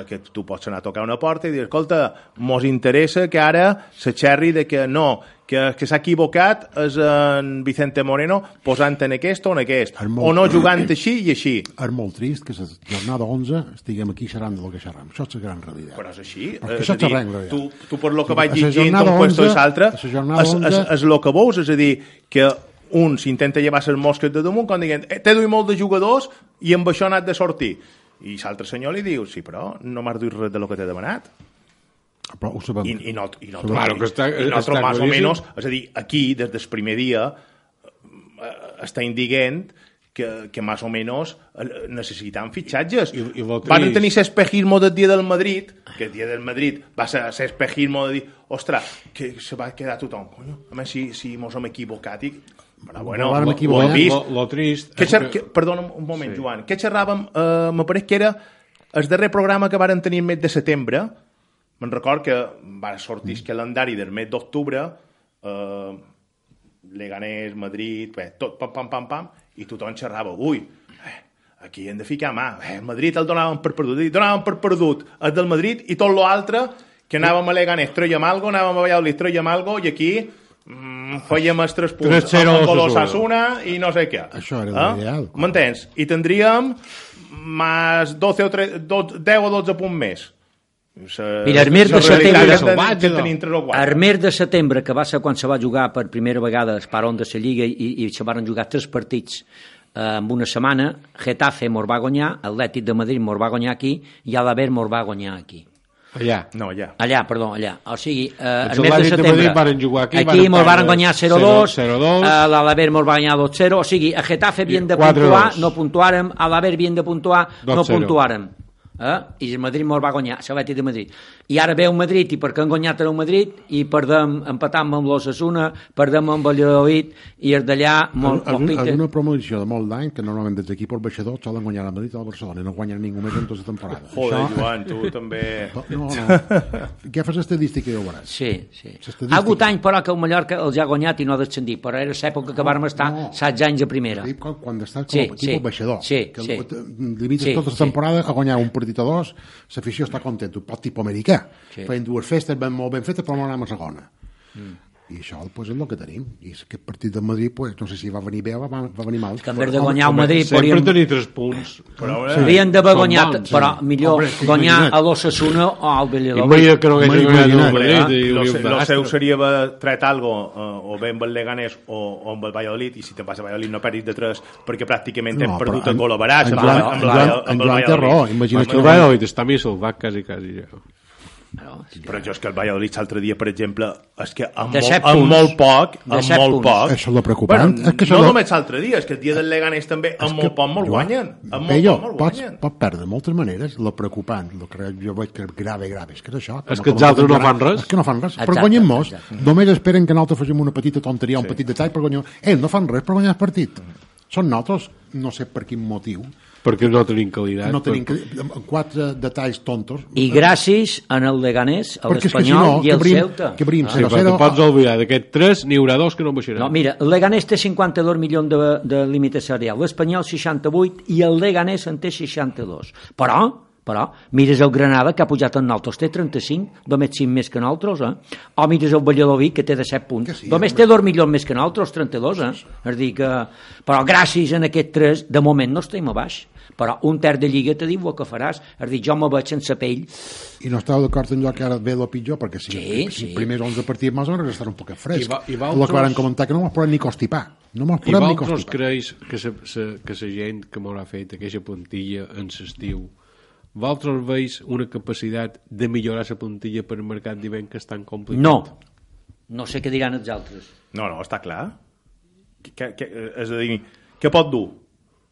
que tu pots anar a tocar una porta i dir, escolta, mos interessa que ara se xerri de que no, que s'ha equivocat és en Vicente Moreno posant en aquest o en aquest, o no jugant així i així. És molt trist que la jornada 11 estiguem aquí xerrant del que xerram. Això és la gran realitat. Però és així. Això és la gran tu per lo que vaig llegint un puesto i l'altre és el que veus, és a dir, que un s'intenta llevar les mosques de damunt quan diguen t'he duit molt de jugadors i amb això ha anat de sortir. I l'altre senyor li diu, sí, però no m'has duit res de lo que t'he demanat. Però ho sabem. I nosaltres més o menys, és a dir, aquí, des del primer dia, està indicant que més o menys necessitan fitxatges. Van tenir l'espejismo del dia del Madrid, que el dia del Madrid va ser l'espejismo de dir, ostres, que se va quedar tothom. Coño, a més, si mos hem equivocat i... Però bueno, ho hem vist. Lo trist... Perdona un moment, sí. Joan. Què xerràvem? Me pareix que era el darrer programa que varen tenir el mes de setembre. Me'n record que va sortir el calendari del mes d'octubre, Leganés, Madrid, tot, pam, i tothom xerrava. Ui, aquí hem de ficar mà. El Madrid el donàvem per perdut. El del Madrid i tot l'altre, que anàvem a Leganés, trèiem algo, anàvem a Valladolid, trèiem algo, i aquí... fèiem els 3 punts amb l'Osasuna i no sé què. Això era l'ideal. M'entens? I tindríem més 10 o 12 punts més. Mira, el mes de setembre, que va ser quan se va jugar per primera vegada el Parón de la Lliga i se van jugar 3 partits en una setmana, Getafe mos va guanyar, Atlètic de Madrid mos va guanyar aquí i Alaber mos va guanyar aquí. Allà. O sigui, el mes de setembre aquí mos van guanyar 0-2, l'Alaber mos va guanyar 2-0, o sigui, a Getafe havien de puntuar, no puntuàrem, a l'Alaber havien de puntuar, no puntuàrem. I el Madrid mos va guanyar, l'Atlètic de Madrid. I ara ve el Madrid, i perquè han guanyat el Madrid, i empatam amb l'Osasuna, perdem amb Valladolid, i els d'allà... Alguna promoció de molt d'any, que normalment des d'equip baixador solen guanyar el Madrid o el Barcelona, i no guanyen ningú més en tota la temporada. Joder, Joan, tu també... No. Què fas estadística i ho veuràs. Sí. Ha hagut anys, però, que el Mallorca els ha guanyat i no ha descendit, però era l'època que vàrem estar 16 anys a primera. Quan estàs com a equip baixador, que limites tota la temporada a guanyar un partit o 2, l'afició està content, un pot tipus americà, feien 2 festes molt ben fetes, però no anem a segona. I això pues, és el que tenim. I aquest partit del Madrid, pues, no sé si va venir bé o va venir mal. Que en vez de guanyar el Madrid... Sempre tenir 3 punts. Havien d'haver guanyat, però millor guanyar a l'Osasuna o al Valladolid. I que no hagués guanyat el Madrid. Lo seu seria haver tret algo o bé amb el Leganés o amb el Valladolid, i si te'n vas a Valladolid no perdis de 3, perquè pràcticament hem perdut el gol a Baràs amb el Valladolid. El Valladolid està més salvat quasi ja. Però jo és que el Valladolid l'altre dia, per exemple, és que amb molt poc això és el preocupant. No només l'altre dia, és que el dia del Leganés també amb molt poc molt guanyen. Pot perdre de moltes maneres. El preocupant, el que jo veig que grave és que és això. És que els altres no fan res. És que no fan res, però guanyen molts. Només esperen que nosaltres facin una petita tonteria, un petit detall per guanyar. No fan res per guanyar el partit. Són nosaltres, no sé per quin motiu, perquè no tenim qualitat. No tenim 4 detalls tontos. I gràcies en el Leganés, l'Espanyol i el Ceuta. Perquè pots oblidar d'aquests 3, n'hi haurà 2 que no baixaran. No, mira, el Leganés té 52 milions de límit salarial, l'Espanyol 68 i el Leganés en té 62. Però Però mires el Granada, que ha pujat en nosaltres, té 35, només 5 més que nosaltres, o mires el Valladolid, que té 17 punts, només té 2 milions més que nosaltres, 32, És dir que... Però gràcies a aquests 3, de moment no estem a baix, però un terç de Lliga te diu el que faràs, és dir, jo me veig sense pell. I no esteu d'acord en allò que ara ve el pitjor, perquè si primers 11 partits més o menys estarà un poc fresc. El que van comentar que no mos podem ni constipar. No mos podem ni constipar. I vosaltres creus que la gent que m'haurà fet aquesta plantilla en l'estiu, vosaltres veus una capacitat de millorar la plantilla per el mercat d'hivern que és tan complicat? No sé què diran els altres. No, està clar. És a dir, què pot dur?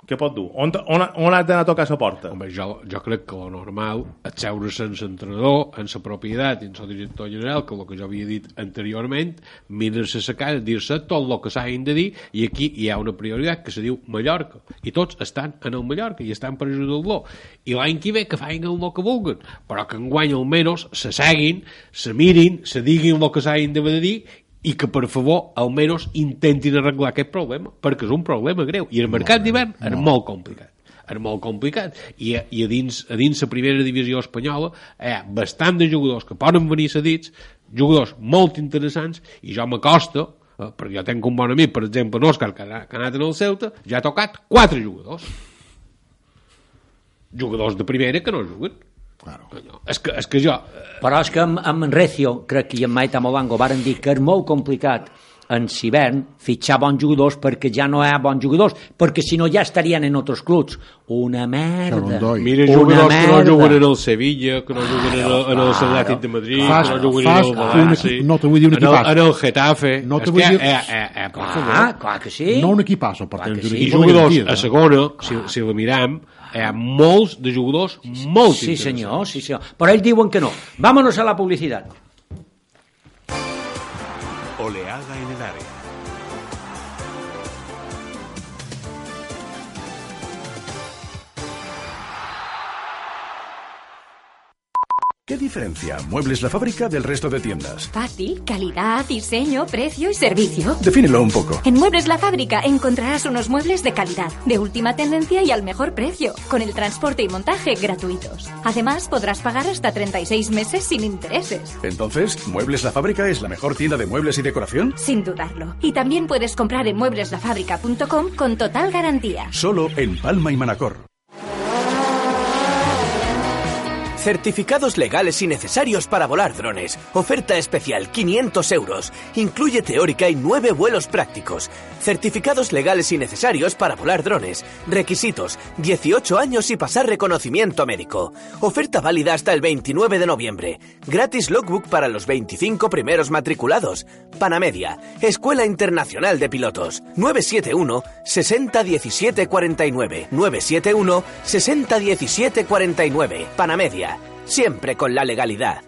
Què pot dur? On has d'anar a tocar la porta? Home, jo crec que lo normal és seure sense entrenador, en la propietat i en el director general, que el que jo havia dit anteriorment, mirar-se la cara, dir-se tot el que s'hagin de dir, i aquí hi ha una prioritat que se diu Mallorca, i tots estan en el Mallorca i estan per ajudar-lo, i l'any que ve que facin el que vulguin, però que enguany almenys se seguin, se mirin, se diguin el que s'hagin de dir, i que, per favor, almenys intentin arreglar aquest problema, perquè és un problema greu. I el mercat d'hivern és molt complicat. És molt complicat. I a dins la primera divisió espanyola hi ha bastant de jugadors que poden venir cedits, jugadors molt interessants, i jo m'acosto, perquè jo tenc un bon amic, per exemple, en Òscar, que ha anat en el Celta, ja ha tocat 4 jugadors. Jugadors de primera que no juguen. Claro. No, és que jo... Però és que amb Recio, crec que i amb Maita Molango varen dir que és molt complicat en l'hivern fitxar bons jugadors perquè ja no hi ha bons jugadors, perquè si no ja estarien en altres clubs. Una merda. Mira jugadors que no juguen en el Sevilla, que no juguen en el Atlètic de Madrid, que no juguen en el València, no te vull dir un equipàs. En el Getafe. No te vull dir... Clar que sí. No un equipàs, per tant. I jugadors a segona, si la miram, hi ha molts de jugadors molt interessants. Sí, senyor. Però ells diuen que no. Vámonos a la publicitat. Oleada en el área. ¿Qué diferencia Muebles La Fábrica del resto de tiendas? Fácil, calidad, diseño, precio y servicio. Defínelo un poco. En Muebles La Fábrica encontrarás unos muebles de calidad, de última tendencia y al mejor precio, con el transporte y montaje gratuitos. Además, podrás pagar hasta 36 meses sin intereses. Entonces, ¿Muebles La Fábrica es la mejor tienda de muebles y decoración? Sin dudarlo. Y también puedes comprar en muebleslafábrica.com con total garantía. Solo en Palma y Manacor. Certificados legales y necesarios para volar drones. Oferta especial, 500 euros. Incluye teórica y 9 vuelos prácticos. Certificados legales y necesarios para volar drones. Requisitos, 18 años y pasar reconocimiento médico. Oferta válida hasta el 29 de noviembre. Gratis logbook para los 25 primeros matriculados. Panamedia, Escuela Internacional de Pilotos. 971 60 17 49. 971 60 17 49. Panamedia. Siempre con la legalidad.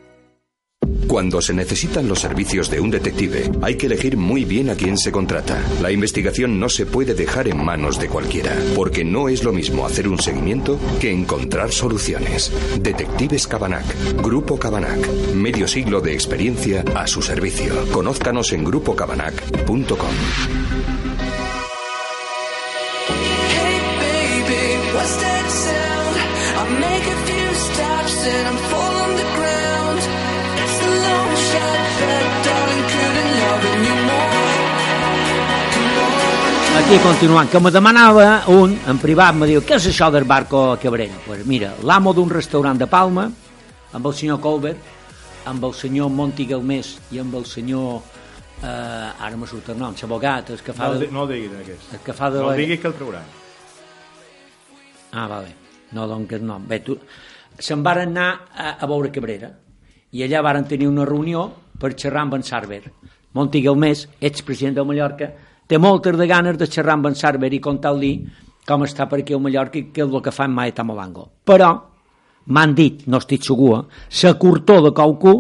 Cuando se necesitan los servicios de un detective, hay que elegir muy bien a quién se contrata. La investigación no se puede dejar en manos de cualquiera, porque no es lo mismo hacer un seguimiento que encontrar soluciones. Detectives Cabanac, Grupo Cabanac, medio siglo de experiencia a su servicio. Conózcanos en grupocabanac.com. Aquí continuant, que me demanava un, en privat, me diu, què és això del barco Cabrera? Pues mira, l'amo d'un restaurant de Palma, amb el senyor Colbert, amb el senyor Monti Galmés i amb el senyor, ara me surt el nom, l'abogat, el que fa... No el diguis, aquest. El que fa de... No el diguis que el trauran. Ah, vale. No, doncs el nom. Bé, se'n varen anar a veure Cabrera i allà varen tenir una reunió per xerrar amb en Sarver. Monti Galmés, expresident de Mallorca, té moltes de ganes de xerrar amb en Sarver i contar-li com està per aquí a Mallorca i què és el que fa en Maeta Molango. Però m'han dit, no estic segur, la curtor de qualcú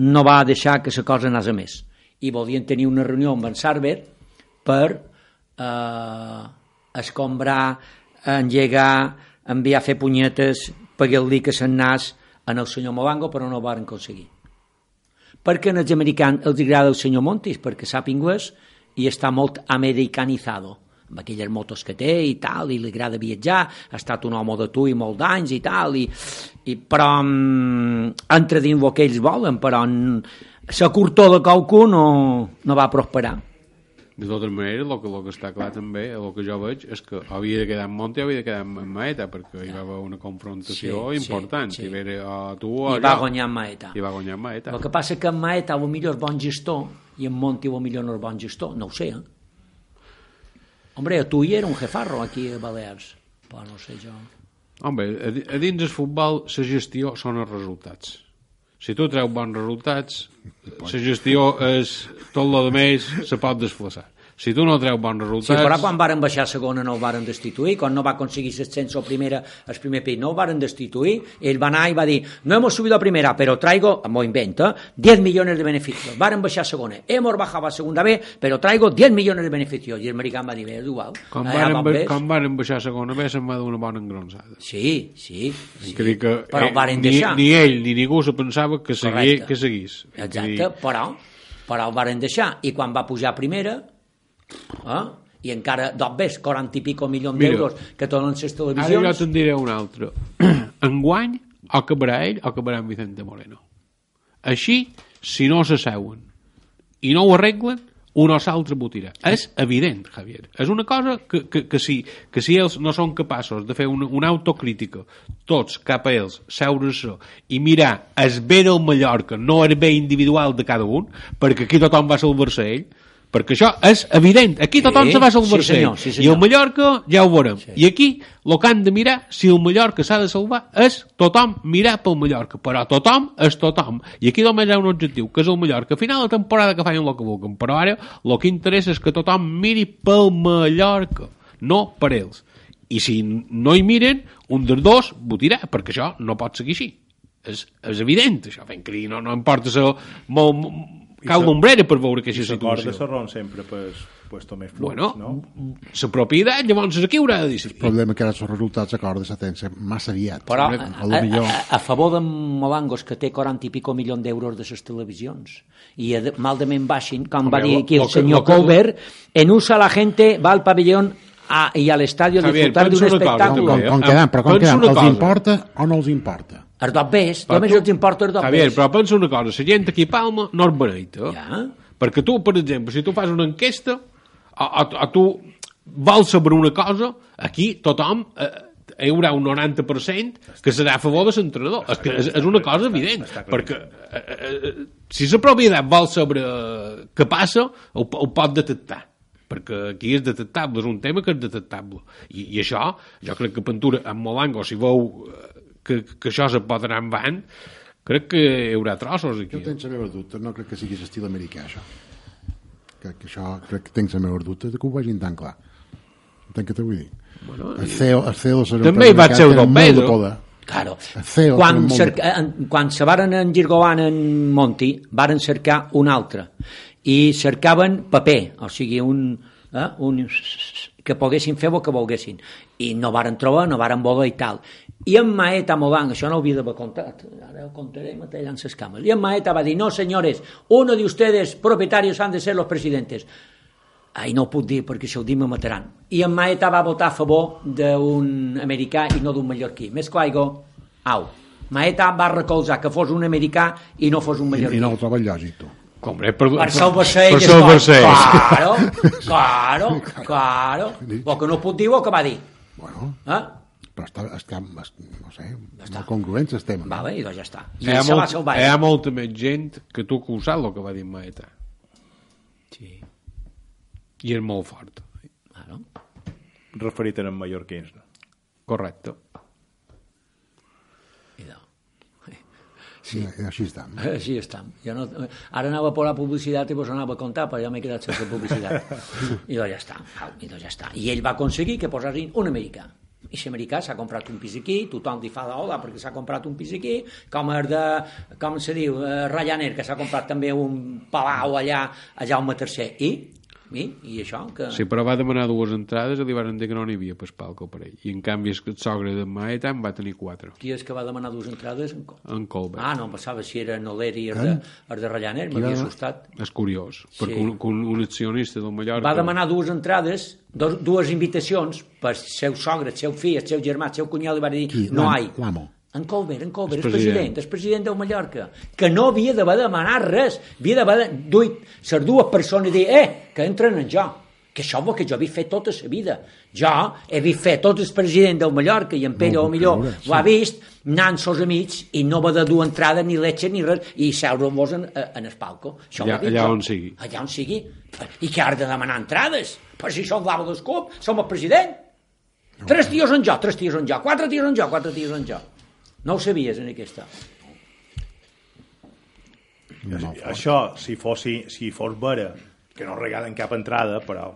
no va deixar que la cosa anés a més. I volien tenir una reunió amb en Sarver per escombrar, engegar, enviar a fer punyetes, pagar-li que se'n nas en el senyor Molango, però no ho van aconseguir. Perquè als americans els agrada el senyor Montis, perquè sap anglès i està molt americanitzado. amb aquelles motos que té i tal, i li agrada viatjar, ha estat un home de tu i molt d'anys i tal, però entra dins el que ells volen, però la curtó de qualcú no va prosperar. De totes maneres, el que està clar també, el que jo veig, és que havia de quedar en Monti, havia de quedar en Maeta, perquè hi va haver una confrontació important. Sí. I va guanyar en Maeta. El que passa que en Maeta potser és bon gestor i en Monti potser no és bon gestor, no ho sé, Hombre, tu hi era un jefarro aquí a Balears, però no sé jo. Home, a dins del futbol la gestió són els resultats. Si tu treus bons resultats, la gestió és tot el més se pot desflaçar. Si tu no treus bons resultats... Sí, però quan varen baixar a segona no el varen destituir, quan no va aconseguir l'ascenso el primer pis no el varen destituir, ell va anar i va dir, no hemos subido a primera, pero traigo, m'ho invento, 10 millones de beneficios. Varen baixar a segona, hemos bajado a segunda B, pero traigo 10 millones de beneficios. I el americà va dir, és igual. Quan varen baixar a segona B se'n va donar una bona engronsada. Sí. Però varen deixar. Ni ell ni ningú se pensava que seguís. Exacte, però el varen deixar. I quan va pujar a primera... i encara ves 40 i pico milions d'euros que donen les televisions. Ara jo te'n diré un altre. Enguany o acabarà ell o acabarà en Vicente Moreno. Així, si no s'asseuen i no ho arreglen, un o l'altre botirà. És evident, Javier. És una cosa que si ells no són capaços de fer una autocrítica, tots cap a ells, seure-se i mirar el bé del Mallorca, no el bé individual de cada un, perquè aquí tothom va salvar-se ell, perquè això és evident, aquí tothom se va salvar-se i el Mallorca ja ho veurem i aquí el que han de mirar si el Mallorca s'ha de salvar és tothom mirar pel Mallorca, però tothom és tothom i aquí només hi ha un objectiu que és el Mallorca, a final de temporada que facin el que vulguin, però ara el que interessa és que tothom miri pel Mallorca, no per ells, i si no hi miren un dels dos votirà, perquè això no pot seguir així, és evident això, fent que no importa ser molt cau d'ombrera per veure aquesta situació. I s'acorda Serrón sempre puesto més flux, no? La propietat, llavors aquí haurà de dir. El problema que ara els resultats s'acorda s'atensa massa aviat. Però a favor de Molangos, que té 40 i pico milions d'euros de les televisions, i mal de ment baixin, com va dir aquí el senyor Colbert, en USA la gente va al pabellón y al estadio a disfrutar de un espectáculo. Com quedam? Els importa o no els importa? Els dos bés, només els importa els dos bés. Javier, però pensa una cosa, la gent aquí a Palma no és beneita. Perquè tu, per exemple, si tu fas una enquesta o tu vols saber una cosa, aquí tothom hi haurà un 90% que serà a favor de l'entrenador. És una cosa evident, perquè si la propietat vol saber què passa, ho pot detectar. Perquè aquí és detectable, és un tema que és detectable. I això, jo crec que Ventura, amb Molango, si veu que això se pot anar endavant, crec que hi haurà trossos aquí. Jo tenc la meva dubte, no crec que sigui l'estil americà, això. Crec que tenc la meva dubte de que ho vegin tan clar. Entenc que t'ho vull dir. El CEO també hi va ser el Don Pedro. Claro. Quan se varen engirgolant en Monti, varen cercar un altre. I cercaven paper, o sigui, que poguessin fer el que volguessin. I no varen trobar, no varen voler i tal. I en Maeta Molang, això no ho havia d'haver contat, ara ho contaré matallant les cames, i en Maeta va dir, no senyores, uno de ustedes propietarios han de ser los presidentes. Ai, no ho puc dir perquè si ho dic me mataran. I en Maeta va votar a favor d'un americà i no d'un mallorquí. Més claigo, au. Maeta va recolzar que fos un americà i no fos un mallorquí. I no ho troba lògic, tu. Per salvar-se ell. Claro. El que no puc dir o que va dir. Bueno, però està no sé, molt congruent el tema. Vale, i doncs ja està. Hi ha molta més gent que tu que ho sap el que va dir Maeta. Sí. I és molt fort. Claro. Referit en mallorquins, no? Correcte. Sí. Així estem. Així estem. Ara anava a posar publicitat i vos anava a contar, però ja m'he quedat sense publicitat. I doncs ja està. I ell va aconseguir que posassin un americà. I l'americà s'ha comprat un pis aquí, tothom li fa d'ola perquè s'ha comprat un pis aquí, com se diu, Ryanair, que s'ha comprat també un palau allà a Jaume III. I I això que... Sí, però va demanar 2 entrades i li van dir que no n'hi havia per palco per ell. I en canvi el sogre d'en Maetan va tenir 4. Qui és que va demanar 2 entrades? En Colbert. Ah, no, em passava si era Noleri i el de Rallaner, m'havia assustat. És curiós, perquè un accionista del Mallorca... Va demanar 2 entrades, 2 invitacions per el seu sogre, el seu fill, el seu germà, el seu cunyat, li va dir no hi. L'amo. En Colbert, el president del Mallorca, que no havia d'haver demanat res, havia d'haver duit les 2 persones i dir, que entren en jo, que això és el que jo havia fet tota la vida. Jo he vist fer tot el president del Mallorca i en Pere o millor ho ha vist anant sos amics i no va de dur entrada ni leche ni res i seure-vos en el palco. Allà on sigui. Allà on sigui. I que has de demanar entrades? Però si som l'amo del club, som el president. 3 tios en jo, 3 tios en jo, 4 tios en jo, 4 tios en jo. No ho sabies, en aquesta. Això, si fos vera, que no regalen cap entrada, però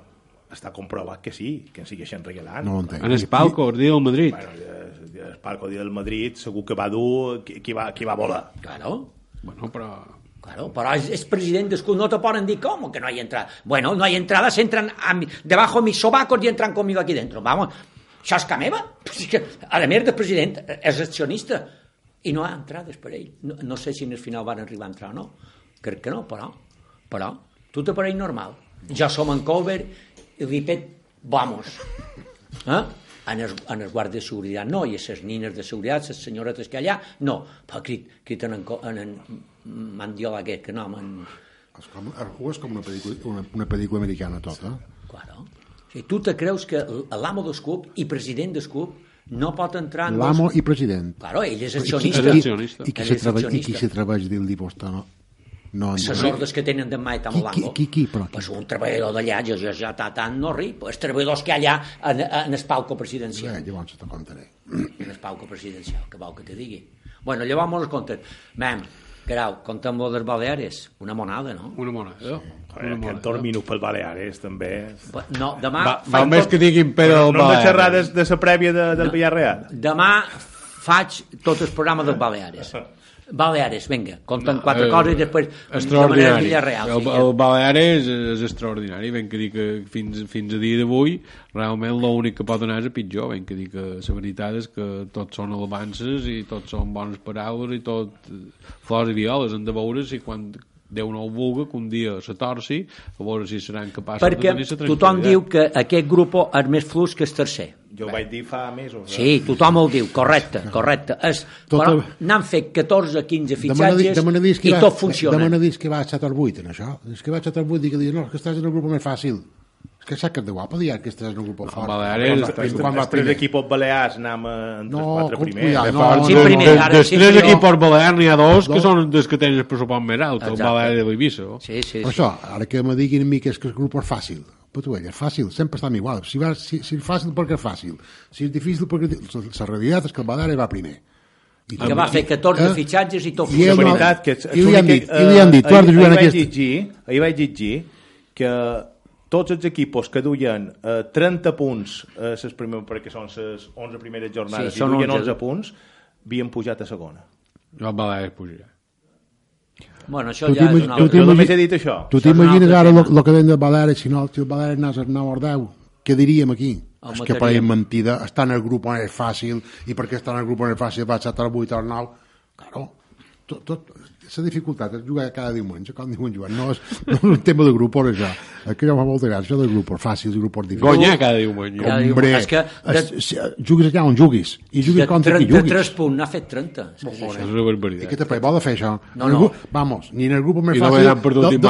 està comprovat que sí, que en segueixen regalant. No entenc. En el palco, el dia del Madrid. Bueno, el palco, el dia del Madrid, segur que va dur qui va volar. Claro. Bueno, però... Claro, però és president del club, no te poden dir com que no hay entrada. Bueno, no hay entrada, se entran debajo de mis sobacos y entran conmigo aquí dentro. Vamos, això és que meva. A més del president és accionista i no hi ha entrades per ell. No sé si en el final van arribar a entrar o no. Crec que no, però tu te pareix normal. Ja som en Colbert i Ripet, vamos. En els guardes de seguretat no, i les nines de seguretat, les senyoretes que allà, no. Però criten en Mandiola aquest, que no, és com una pel·lícula americana tota. Claro. Si tu te creus que l'amo del club i president del club no pot entrar en... L'amo i president. Claro, ell és accionista. I qui se treballa dins l'Iposta no les ordres que tenen d'en Maeta Molango. Qui? Pues un treballador d'allà, jo ja tant no ric, els treballadors que hi ha allà en el palco presidencial. Llavors te contaré. En el palco presidencial, que vol que te digui. Bueno, llavors mos compten. Mem, Grau, contem lo dels Baleares. Una monada, no? Una monada. Aquest dormino pel Baleares, també. No, demà... Val més que diguin Pedro del Baleares. No de xerrar de la prèvia del Villarreal. Demà faig tot el programa dels Baleares. Baleares, vinga, conten 4 coses i després extraordinari. Villarreal. El Baleares és extraordinari, ben que dir que fins a dia d'avui realment l'únic que pot anar és a pitjor, ben que dir que la veritat és que tots són alabances i tots són bones paraules i tot flors i violes, hem de veure si quan Déu no ho vulga que un dia se torci a veure si seran capaços de tenir la tranquil·litat. Perquè tothom diu que aquest grup és més flux que el tercer. Jo ho vaig dir fa mesos. Sí, tothom el diu, correcte. Però n'han fet 14 o 15 fitxatges i tot funciona. Demana dir que va a 7 o 8 en això. És que va a 7 o 8 i que diu, no, que estàs en el grup més fàcil. És que saps que és de guapa dir que estàs en un grup fort. Baleares... Els 3 equipos balears anem entre els 4 primers. Dels 3 equipos balears n'hi ha 2 que són dels que tenen el pressupost més alt, el Baleares de l'Eivissa. Sí. Per això, ara que me diguin a mi que és el grup és fàcil, però tu és fàcil, sempre estem igual. Si és fàcil perquè és fàcil, si és difícil perquè... La realitat és que el Baleares va primer. Que va fer 14 fitxatges i tot funciona. La veritat que... I li han dit, tu has de jugar en aquesta... Ahir vaig llegir que tots els equipos que duien 30 punts perquè són les 11 primeres jornades i duien 11 punts havien pujat a segona. El Baleares pujarà. Bueno, això ja és una altra. Jo només he dit això. Tu t'imagines ara el que deien del Baleares, si el Baleares anés al 9 o 10, què diríem aquí? És que per mentida, està en el grup on és fàcil i perquè està en el grup on és fàcil va a 7 al 8 al 9. Claro, tot la dificultat és jugar cada diumenge, com diuen Joan, no és un tema de grup, és això. Que ja fa molta gràcia, això de grup fàcils i grup difícils. Guanyar cada diumenge. Hombre, juguis allà on juguis, i juguis contra qui juguis. De 3 punts, n'ha fet 30. És una barbaritat. I què te vol de fer això? No. Vamos, ni en el grup més fàcil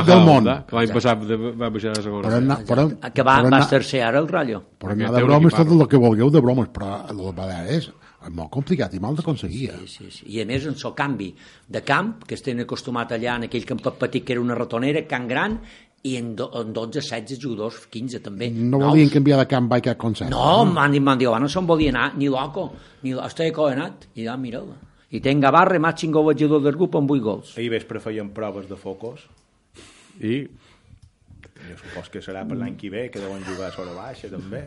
del món. Que l'any passat va baixar a la segona. Que vas tercer ara el Rayo. Però anar de bromes tot el que vulgueu de bromes, però el Baleares és molt complicat i mal d'aconseguir. Sí. I a més en el canvi de camp, que estem acostumats allà en aquell campet petit que era una ratonera, Can Gran, i en 12, 16 jugadors, 15 també. No volien canviar de camp by cap concepte. No, m'han dit, no se'n volia anar, ni loco, ni estic cohenat, i ja, mireu. I ten Gavarre, màxim golejador del grup amb 8 gols. Ahir vespre feien proves de focus. I Jo supos que serà per l'any que ve, que deuen jugar a Sora Baixa, també.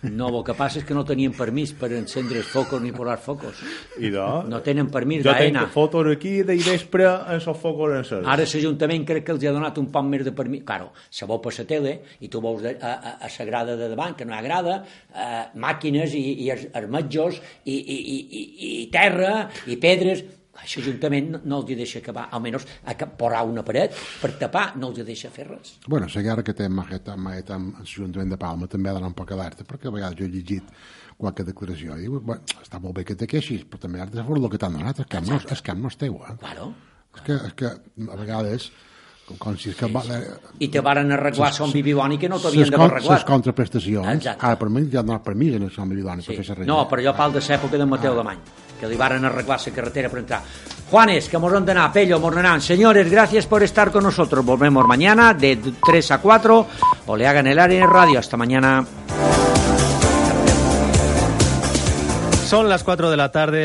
No, el que passa és que no tenien permís per encendre els focos ni posar focos. I no tenen permís jo d'AENA. tenc fotos aquí de vespre en els focos encesos. Ara l'Ajuntament crec que els ha donat un poc més de permís. Claro, se veu per la tele i tu veus a la grada de davant, que no hi ha grada, màquines i els metjos i terra i pedres. L'Ajuntament no els deixa acabar, almenys posar una paret per tapar, no els deixa fer res. Bueno, la guerra que té amb l'Ajuntament de Palma també ha d'anar un poc alerta, perquè a vegades jo he llegit qualque declaració i diu, bueno, està molt bé que te queixis, però també has de fer el que t'han donat, el camp no és teu. Claro. És que a vegades... Com si és que i te varen arreglar Son Bibidoni que no t'havien d'haver arreglat. Les contraprestacions, ara per mi ja han donat permís en el Son Bibidoni per fer la no, però jo parlo de l'època de Mateu Alemany, que li varen arreglar la carretera per entrar. Juanes, que mos han d'anar, Pello, mos n'anan. Señores, gracias por estar con nosotros. Volvemos mañana de 3 a 4. Oleaga en el área radio. Hasta mañana. Son las 4 de la tarde.